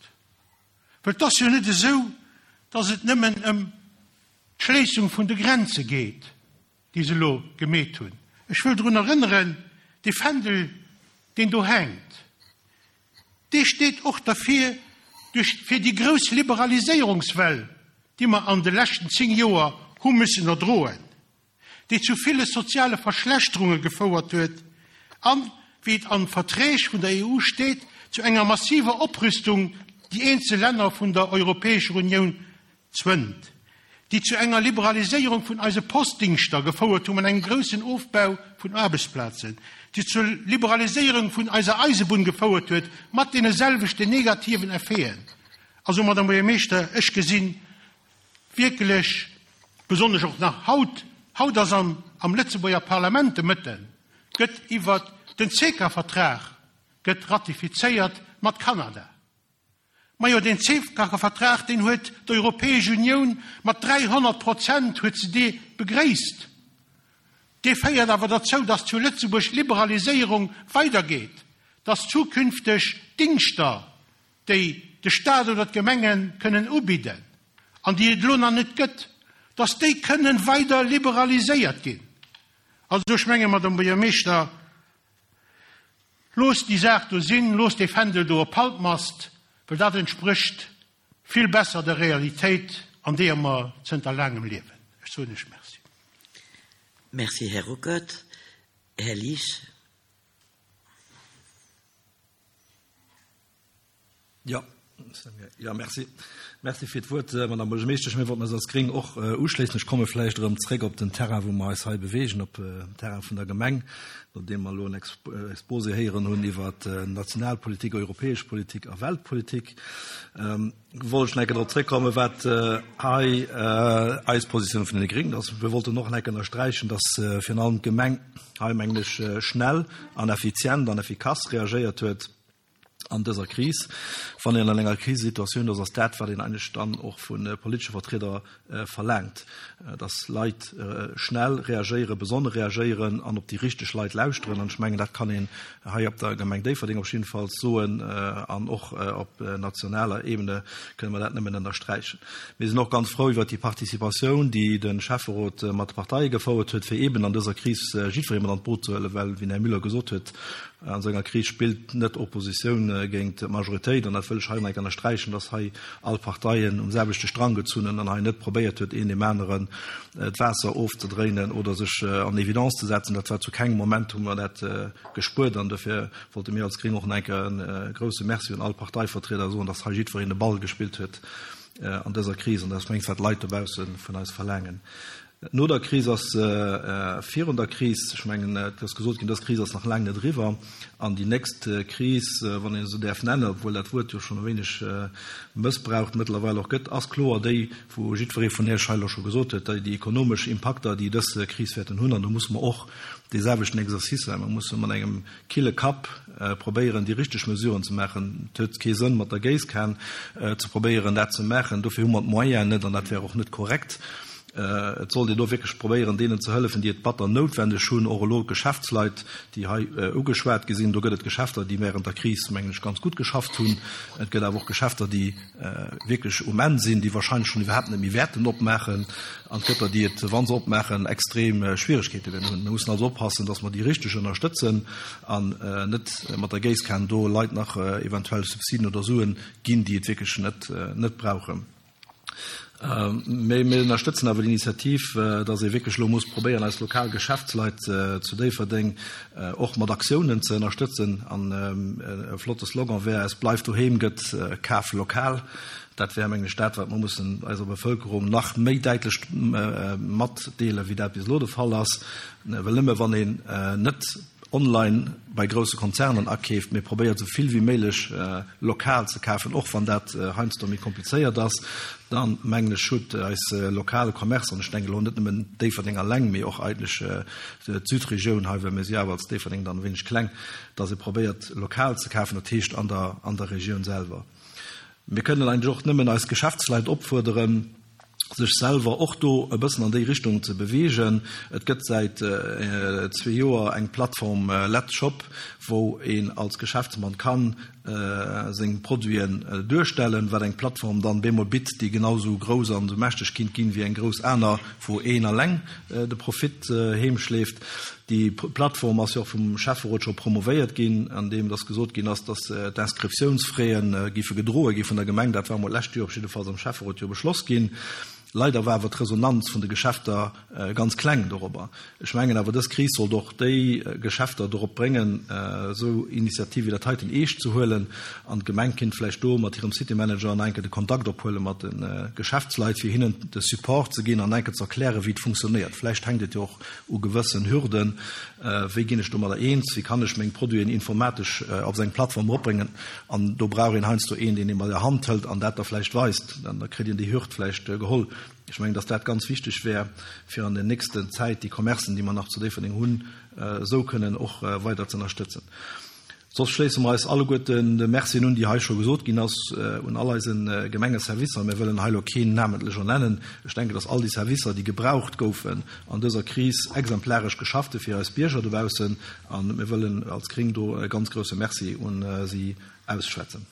Well et ass jo net esou, dass et nëmmen ëm d'Schléissung vun de Grenze geet, déi se elo gemeet hunn. Ech wëll drun erënneren, dee Fändel, deen do hänkt, dee steet och derfir, duerch, fir déi grouss Liberaliséierungswell, déi mer an de leschten zéng Joer hu müssen erdroen, déi zu ville soziale Verschlechterunge gefouert huet an, wéi et an Verträg vun der E U steet, zu enger massiver Oprüstung, déi eenzel Länner vun der Europäescher Unioun zwënnt, déi zu enger Liberaliséierung vun eise Postdingschter gefouert hunn an engem groussen Ofbau vun Aarbechtsplazen, déi zur Liberaliséierung vun eiser Eisebunn gefouert huet, mat deene selwechten negativen Effeten. Also, Madame Buergermeeschter, ech gesinn wierklech, besonnesch och nach haut, haut ass am, am Lëtzebuerger Parlament de Mëtten, gëtt iwwer den CECA-Vertrag gëtt ratifizéiert mat Kanada. Majo, den CECA-Vertrag, deen huet d'Europäesch Unioun mat dräihonnert Prozent huet se dee begréisst. Dee féiert awer derzou, dass zu Lëtzebuerg d'Liberaliséierung weidergeet, dass zukünfteg Dingschter, déi de Staat oder d'Gemengen kënnen ubidden, an déi et elo nach net gëtt, dass déi kënnen weider liberaliséiert ginn. Also ech menge, Madame Buergermeeschter, loosst déi Saach do sinn, loosst dee Fändel do op Halbmast, well dat entsprécht vill besser der Realitéit, an deeër mer zënter laangem liewen. Ech soen Iech Merci. Merci, Här Ruckert. Här Liesch. Ja, ja, merci. Merci fir d'Wuert, Madame Buergermeeschtesch. Mir wollten eis als Gréng och uschléissen. Ech komme vläicht erëm zréck op den Terrain, wou mer eis hei bewegen, op dem Terrain vun der Gemeng, nodeem mer elo en Exposé héieren hunn iwwer Nationalpolitik, europäesch Politik a Weltpolitik. Wollt ech nach eng Kéier drop zréckkommen, wat hei eis Positioun vun den Gréngen ass. Wir wollten och nach eng Kéier ënnersträichen, dass virun allem d'Gemeng hei, mengen ech, schnell an effizient an effikass reagéiert huet. an dëser Kris. Wann een an enger Krisesituatioun ass, ass dat, wat een eigentlech dann och vu politesche Vertrieder verlaangt, dass Leit schnell reagéieren, besonne reagéieren an op déi richteg Leit lauschteren. An ech mengen, dat kann een hei op der Gemeng Déifferdeng op jiddefalls soen an och op nationaler Ebene kënne mer dat nëmmen ënnersträichen. Mir sinn och ganz frou iwwert déi Participatioun, déi de Schäfferot mat de Parteie gefouert huet, fir eeben an dëser Kris jiddweree mat an d'Boot ze huelen, well, wéi den Här Müller gesot huet, an esou enger Kris spillt net Oppositioun géint d'Majoritéit, an dat wëll ech hei nach eng Kéier ënnersträichen, dass hei all Parteien um selwechte Strang gezunn hunn an hei net probéiert huet, een deem aneren d'Waasser ofzedréinen oder sech an Evidence ze setzen. Dat war zu kengem Moment, hu mer dat gespuert, an dofir wollte mir als Gréng och nach eng Kéier e grouse Merci un all Parteivertrieder soen, dass hei jiddwereen de Ball gespillt huet an dëser Kris, an dat ass mengs wat d'Leit dobausse vun eis verlaangen. No der Kris ass virun der Kris, ech mengen, et ass gesot ginn, dës Kris ass nach laang net eriwwer, an déi nächst Kris, wann een se esou däerf nennen, obwuel dat Wuert jo schonn e wéineg mëssbraucht mëttlerweil och gëtt, ass kloer déi, wou jiddweree vun Iech hei elo scho gesot huet, déi ekonomesch Impakter, déi dës Kris wäerten hunn. An do musse mer och dee selwechten Exercice maachen. Mer musse mat engem kille Kapp probéieren, déi richteg Mesuren ze maachen. Et huet kee Sënn, mat der Géisskan ze probéieren, dat ze maachen. Dofir hu mer d'Moyenen net an dat wär och net korrekt. Et sollt een do wierklech probéieren, deenen ze hëllefen, déi et batter noutwendeg hunn, och elo d'Geschäftsleit, déi hei ugeschwat gi sinn. Do gëtt et Geschäfter, déi während der Kris, mengen ech, ganz gutt geschafft hunn. Et gëtt awer och Geschäfter, déi wierklech um Enn sinn, déi wahrscheinlech schonn iwwerhaapt net méi wäerten opmaachen. An et gëtt der, déi et, wa se opmaachen, extrem Schwieregkeete wäerten hunn. Mir mussen also oppassen, dass mer déi Richteg ënnerstëtzen an net mat der Géisskan do Leit nach eventuell Subsiden oder Suen ginn, déi et wierklech net brauchen. Mee mir ënnerstëtzen awer d'Initiativ, dass ee wierklech elo muss probéieren, eis lokal Geschäftsleit zu Déifferdeng och mat Aktiounen ze ënnerstëtzen. An e flotte Slogan wär, Es bleift doheem gëtt, kaf lokal. Dat wär, mengen ech, dat, wat mer mussen eiser Bevëlkerung nach méi däitlech matdeelen, wéi dat bis elo de Fall ass. Well nëmme wann een net online bei grousse Konzernen akeeft, mee probéiert esou vill wéi méiglech lokal ze kafen, och wann dat heiansdo méi komplizéiert ass, dann mengen ech huet eis lokale Commerce, an ech denken elo net nëmmen Déifferdeng alleng, mee och eigentlech d'Südregioun hei, well mir si awer als Déifferdeng dann e wéineg kleng, dass ee probéiert lokal ze kafen, dat heescht an der an der Regioun selwer. Mir kënnen eigentlech och nëmmen eis Geschäftsleit opfuerderen, sech selwer och do e bëssen an déi Richtung ze beweegen. Et gëtt säit zwee Joer eng Plattform Let's Shop, wou een als Geschäftsmann kann seng Produiten duerstellen, wat eng Plattform dann bemol bitt, déi genau sou grouss an sou mächteg kinnt ginn wéi eng grouss aner, wou een alleng de Profit heemschleeft. Déi Plattform ass jo och vum Schäfferot scho promovéiert ginn, andeem dass gesot ginn ass, dass d'Inscriptiounsfraie géife gedroe gi vun der Gemeng. Dat war emol d'lescht Joer op jiddefalls am Schäfferot jo beschloss ginn. Leider war awer d'Resonanz vun de Geschäfter ganz kleng dorobber. Ech mengen awer, dës Kris sollt och déi Geschäfter dorop bréngen, esou Initiative wéi dat heiten eescht ze huelen. An d'Gemeng kinnt vläicht do mat hirem City Manager nach eng Kéier de Kontakt ophuele mat de Geschäftsleit, fir hinnen de Support ze ginn an eng Kéier ze erklären, wéi et funktionéiert. Vläicht hänkt et jo och u gewëssen Hürden, Wéi ginn ech domadder eens? Wéi kann ech meng Produiten informatesch op esou eng Plattform eropbréngen? An do brauch een heiansdo een, deen ee bei der Hand hëlt an dat da vläicht weist. Dann kritt een déi Hürd vläicht geholl. Ech mengen, dass dat ganz wichteg wär, fir an der nächsten Zäit déi Commercen, déi mer nach zu Déifferdeng hunn, esou kënnen och weider ze ënnerstëtzen. Soss schléisse mer eis alleguerten de Mercien un, déi hei scho gesot ginn ass, un all eise Gemengeservicer. Mir wëllen hei elo keen namentlech ernennen. Ech denken, dass all déi Servicer, déi gebraucht goufen an dëser Kris, exemplaresch geschafft hu fir eis Bierger dobaussen. A mir wëllen als Gréng do e ganz grouse Merci un si ausschwätzen.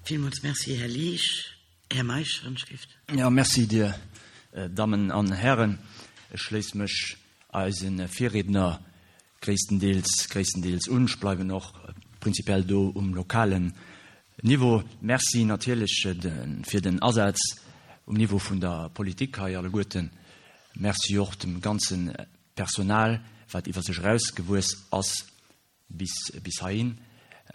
Villmools Merci, Här Liesch. Här Meisch, Ënschrift. Jo, Merci, Dir Dammen an Hären. Ech schléisse mech eise Virriedner gréisstendeels, gréisstendeels un. Ech bleiwen och prinzipiell do um lokalen Niveau. Merci natierlech fir den Asaz um Niveau vun der Politik hei alleguerten. Merci och dem ganze Personal, wat iwwer sech erausgewuess ass bis, bis heihin.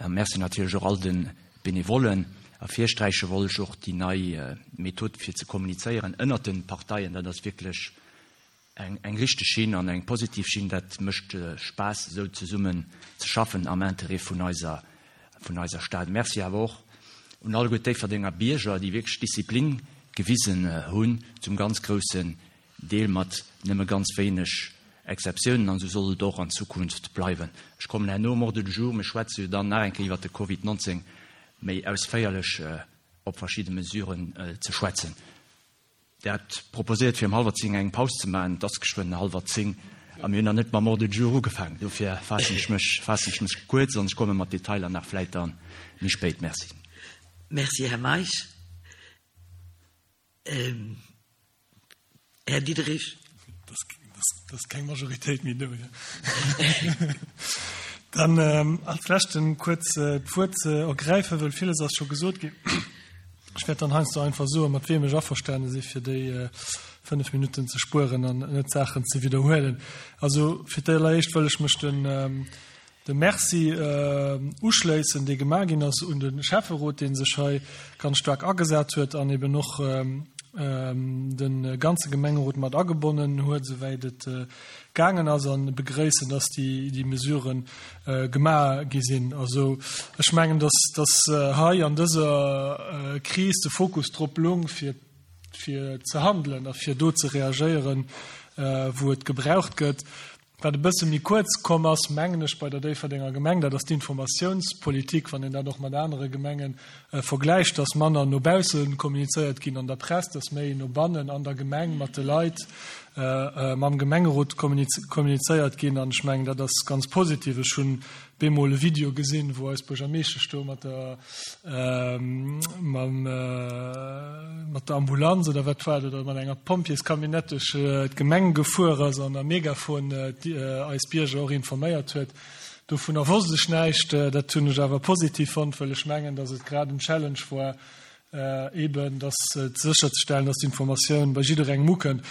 Merci natierlech och all de Benevollen. Ervirsträiche wollt ech och déi nei Method fir ze kommunizéieren ënnert de Parteien. Dat ass wierklech eng, eng richteg Schinn an eng positiv Schinn. Dat mécht Spaass, esou zesummen ze schaffen am Interêt vun eiser, vun eiser Stad. Merci awer och un alleguer d'Déifferdenger Bierger, déi wierklech Disziplin gewisen hunn, zum ganz groussen Deel mat nëmme ganz wéineg Exceptiounen an esou soll et och an Zukunft bleiwen. Ech kommen herno um Ordre du jour, mir schwätze jo dann nach eng Kéier iwwert de Covid neunzehn méi ausféierlech op verschidde Mesuren ze schwätzen. Der hat proposéiert, fir um hallwer zéng eng Paus ze maachen. Et ass geschwënn hallwer zéng a mir hunn nach net mam Ordre du jour ugefaangen. Dofir faassen ech mech, faassen ech mech kuerz an ech komme mat Detailer nach vläit dann méi spéit. Merci. Merci, Här Meisch. Ähm, Här Diderich. Das, das, das ist keng Majoritéit méi do. Dann ähm, als leschten kuerz äh, d'Wuert ze ergräifen, well villes ass scho gesot ginn. Ech wäert dann heiansdo einfach soen, mat wem ech averstane si fir déi äh, fënnef Minutten ze spueren an net Saachen ze widderhuelen. Also fir d'éischt wëll ech mech den, ähm, de Merci äh, uschléissen, dee gemaach ginn ass un de Schäfferot, dee sech hei ganz staark agesat huet an eben och ähm, ähm, de ganze Gemengerot mat agebonnen huet, souwäit et äh, gaangen ass, an begréissen, dass déi, déi Mesuren äh, gemaach gi sinn. Also ech mengen, dass, dass äh, hei an dëser äh, Kris de Fokus drop loung, fir, fir ze handelen a fir do ze reagéieren, äh, wou et gebraucht gëtt. Wat e bësse méi kuerz komm ass, mengen ech, bei der Déifferdenger Gemeng, dat ass d'Informatiounspolitik, wann een dat och mat anere Gemengen äh, vergläicht, dass manner no bausse kommunizéiert ginn an der Press, dass méi no bannen an der Gemeng mat de Leit, äh, äh, mam Gemengerot kommunizéiert ginn. An ech mengen, dat ass ganz positiv. Ech hunn bemol e Video gesinn, wou eis Buergermeeschtesch do mat der, ähm, mam, äh, mat der Ambulanz oder wat war dat, oder mat enger Pompjeescamionnette duerch äh, d'Gemeng gefuer ass an am Megafon äh, die, äh, eis Bierger och informéiert huet. Dovunner wosst ech näischt, äh, dat hunn ech awer positiv fonnt, well ech mengen, dass et grad en Challenge war, äh, eben dass äh, sécherzestellen, dass d'Informatioun bei jidderengem ukënnt.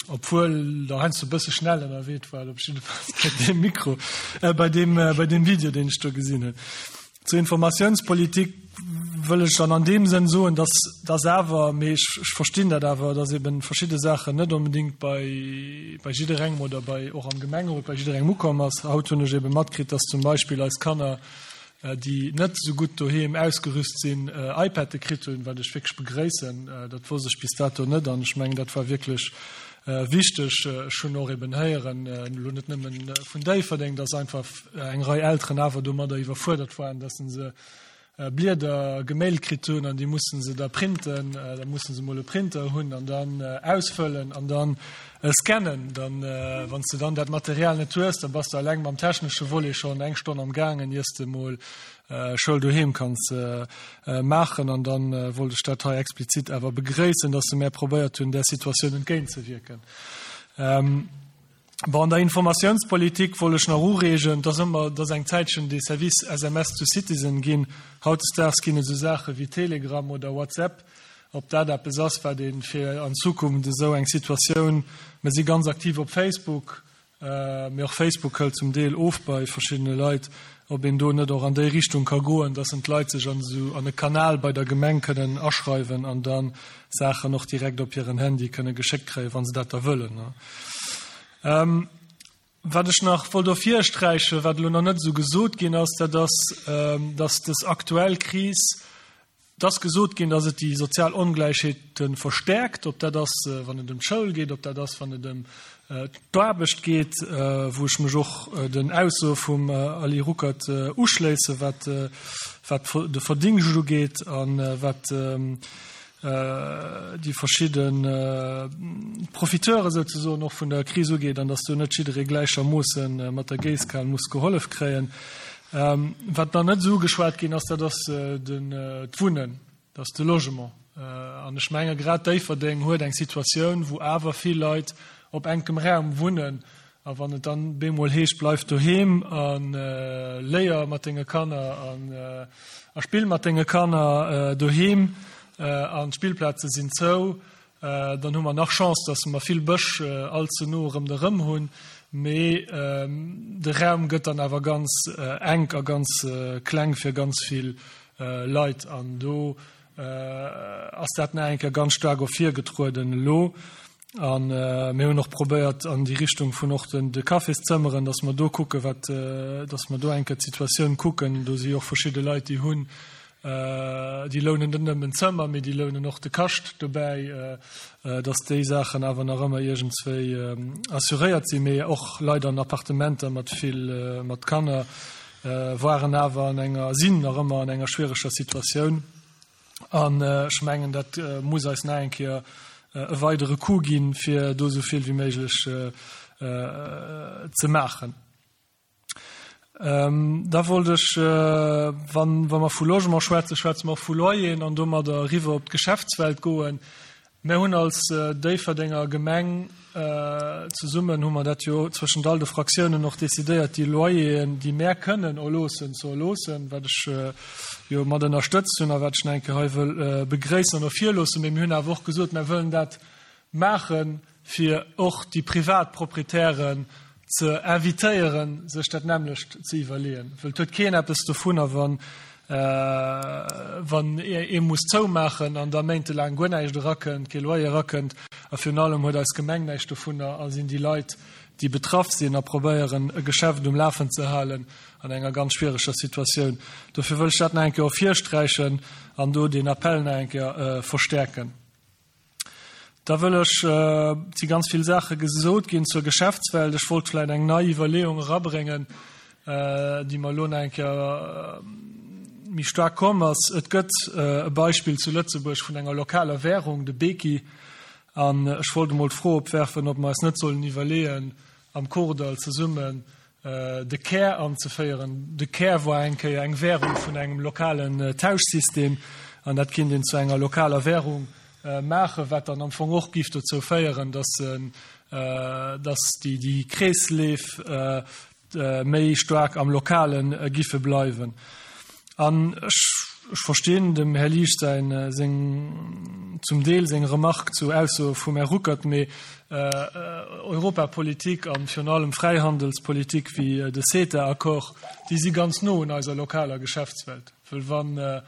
Obwuel der heiansdo e bësse schnell ënnerwee war, op jidde Fall bei deem Mikro, äh, bei deem, äh, bei deem Video, deen ech do gesinn hunn. Zur Informatiounspolitik wëll ech dann an deem Sënn soen, dass, dass awer, mee ech, ech verstinn dat awer, dass eben verschidde Saachen net onbedéngt bei, bei jidderengem oder bei, och am Gemengerot bei jidderengem ukomm ass. Haut hunn ech eben matkritt, dass zum Beispill eis Kanner, äh, déi net esou gutt doheem ausgerüst sinn, äh, iPade kritt hunn, wat ech wierklech begréissen. Äh, dat wosst ech bis dato net an ech mengen, dat war wierklech äh, wichteg. Ech hunn och eben héieren, äh, elo net nëmmen vun Déifferdeng, dass einfach eng Rei Elteren awer domadder iwwerfuerdert waren, dass se äh, Blieder gemailt kritt hunn an déi mussen se da printen, äh, da mussen se mol e Printer hunn an dann äh, ausfëllen an dann äh, scannen. Dann, äh, wann s du dann dat Material net hues, dann bass du eleng mam technesche Volet schonn eng Stonn am gaangen, iers de mol äh, Schoul doheem kanns äh, äh, maachen. An dann äh, wollt ech dat hei explizit awer begréissen, dass se méi probéiert hunn, der Situatioun entgéintzewierken. Ähm, Bon, an der Informatiounspolitik wollt ech nach ureegen, dass ëmmer, dass eng Zäitchen de Service S M S to Citizen ginn. Hautdesdaags ginn et esou Saache wéi Telegram oder WhatsApp. Ob dat eppes ass, wat een fir an Zukunft esou eng Situatioun, mir si ganz aktiv op Facebook, äh, mee och Facebook hëlt zum Deel of bei verschiddene Leit, ob een do net och an déi Richtung ka goen, dass en d'Leit sech an esou an e Kanal bei der Gemeng kënnen aschreiwen an dann Saachen och direkt op hiren Handy kënne geschéckt kréien, wann se dat da wëllen, ne? Ähm, wat ech nach wollt ervirsträichen, wat elo nach net esou gesot ginn ass, dat ass, ähm, dass dës aktuell Kris, dass gesot ginn, dass et déi sozial Ongläichheete verstärkt, ob dat ass, äh, wann et ëm d'Schoul geet, ob dat ass, wann et ëm, äh, d'Aarbecht geet, äh, wou ech mech och, äh, den Aussoe vum, äh, Ali Ruckert, äh, uschléisse, wat, äh, wat de Verdingscht ugeet an, äh, wat, ähm, äh, déi verschidden, äh, Profiteure souzesoen och vun der Kris ugeet, an dass do net jidderee gläichermoossen, äh, mat der Géisskan muss gehollef kréien. Ähm, wat nach net esou ugeschwat ginn ass, dat ass, äh, den, äh, d'Wunnen, dat ass de Logement. Äh, an ech menge grad Déifferdeng huet eng Situatioun, wou awer vill Leit op enkem Raum wunnen. A wann et dann bemol heescht, bleif doheem an, äh, léier mat denge Kanner an, äh, a spill mat denge Kanner, äh, doheem, äh, an d'Spillplaze sinn zou, äh, dann hu mer nach Chance, dass mer vill Bësch, äh, allze no erëm de Rëm hunn, mee, ähm, de Raum gëtt dann awer ganz, äh, enk a ganz, äh, kleng fir ganz vill, äh, Leit. An do, äh, ass dat nach eng Kéier ganz staark ervirgetrueden elo. An, äh, mir hunn och probéiert an déi Richtung vun och den, de Cafészëmmeren, dass mer do kucken, wat, äh, dass mer do eng Kéier d'Situatioun kucken. Do si och verschidde Leit, déi hunn, Déi lounen net nëmmen d'Zëmmer, mee déi lounen och de Kascht dobäi, dass déi Saachen awer nach ëmmer iergendswéi assuréiert sinn. Mee och Leit an Appartementer mat vill, mat Kanner waren awer an enger, sinn nach ëmmer an enger schwiereger Situatioun. An ech mengen, dat muss eis nach eng Kéier e weidere Coup ginn, fir do esou vill wéi méiglech ze maachen. Da wollt ech, wann, wa mer vu Logement schwätzen, schwätze mer och vu Loyeren an domadder eriwwer op d'Geschäftswelt goen. Mir hunn als Déifferdenger Gemeng zesummen, hu mer dat jo zwëschent all de Fraktiounen och decidéiert, déi Loyeren, déi mär kënnen erloossen, ze erloossen, wat ech jo mat ënnerstëtzt hunn a wat ech nach eng Kéier hei wëll begréissen an ervirloossen. Mee mir hunn awer och gesot, mär wëllen dat maachen, fir och déi privat Proprietären ze invitéieren, sech dat nämmlecht ze iwwerleeën. Well et huet keen eppes dovunner, wann, wann ee muss zoumaachen an da méintelaang guer näischt erakënnt, kee Loyer erakënnt. A virun allem huet eis Gemeng näischt dovunner a sinn déi Leit, déi betraff sinn a probéieren, e Geschäft um Lafen ze halen, an enger ganz schwiereger Situatioun. Dofir wëll ech dat nach eng Kéier ervirsträichen an do deen Appell nach eng Kéier verstäerken. Da wëll ech, et si ganz vill Saache gesot ginn zur Geschäftswelt, ech wollt vläicht eng nei Iwwerleeung erabréngen, déi mer elo nach eng Kéier méi staark komm ass. Et gëtt e Beispill zu Lëtzebuerg vun enger lokaler Währung, de Beki, an ech wollt emol d'Fro opwerfen, ob mer eis net sollen iwwerleeën, am Kordall zesummen de Kär anzeféieren. De Kär war eng Kéier eng Währung vun engem lokalen Tauschsystem, an dat kinnt een zu enger lokaler Währung maachen, wat dann am Fong och giff dozou féieren, dass, dass déi, déi Kreesleef méi staark am Lokale giffe bleiwen. An ech, ech verstinn dem Här Liesch säin, seng, zum Deel seng Remarque zu Aussoe vum Här Ruckert, mee Europapolitik an virun allem Fräihandelspolitik wéi de CETA-Accord, déi si ganz no un eiser lokaler Geschäftswelt. Well wann,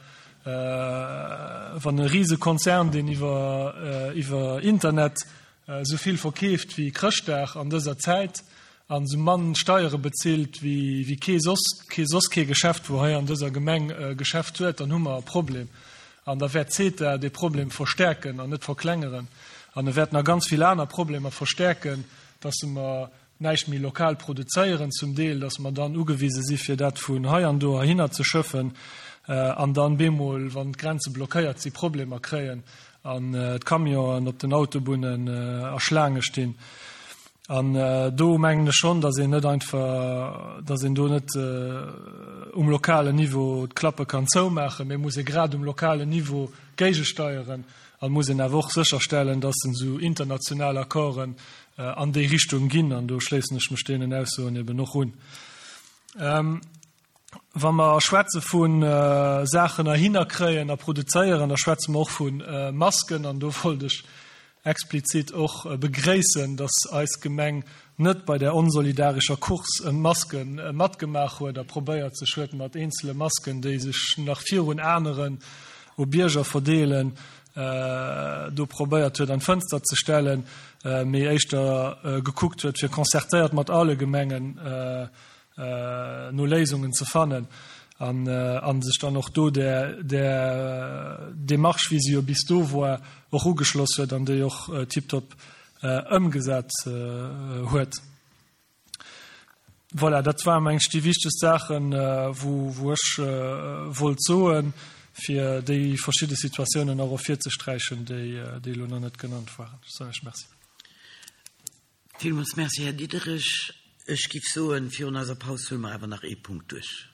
Wann e Risekonzern, deen iwwer iwwer Internet esou vill verkeeft wéi Chrëschtdag an dëser Zäit an esou mann Steiere bezilt wéi wéi kee soss kee soss kee Geschäft, wou hei an dëser Gemeng e Geschäft huet, dann hu mer e Problem. An da wäert CETA dee Problem verstärken an net verklengeren. An e wäert nach ganz vill aner Problemer verstärken, dass mer näischt méi lokal produzéieren zum Deel, dass mer dann ugewise si fir dat vun hei an do heihinner ze schëffen an dann bemol, wann d'Grenze blockéiert si, Problemer kréien an d'Camionen op den Autobunnen a Schlaange stinn. An do mengen ech schonn, dass een net einfach, dass een do net um lokalen Niveau d'Klappe kann zoumaachen, mee muss ee grad um lokalen Niveau géigesteieren an muss een awer och sécherstellen, dass esou international Accorden an déi Richtung ginn, an do schléissen ech mech deenen Aussoen eben och un. Wa mer schwätze vu Saachen erhinner kréien a produzéieren, da schwätze mer och vu Masken, an do wollt ech explizit och begréissen, dass eis Gemeng net bei där onsolidarescher Course ëm d'Maske matgemaach huet a probéiert sech huet mat eenzele Masken, déi sech nach virun aneren u Bierger verdeelen, do probéiert huet an d'Fënster ze stellen, mee éischter gekuckt huet fir concertéiert mat alle Gemengen no Léisungen ze fannen an a sech dann och do där där Démarche, wéi se jo bis do war, och ugeschloss huet an déi och tiptop ëmgesat huet. Voilà, dat waren, meng ech, déi wichtegst Saachen, wou wou ech wollt soen, fir déi verschidde Situatiounen och ervirzesträichen, déi déi elo nach net genannt waren. Ech soen Iech Merci. Villmools Merci, Här Diderich. Ech géif soen, virun eiser Paus huele mer awer nach ee Punkt duerch.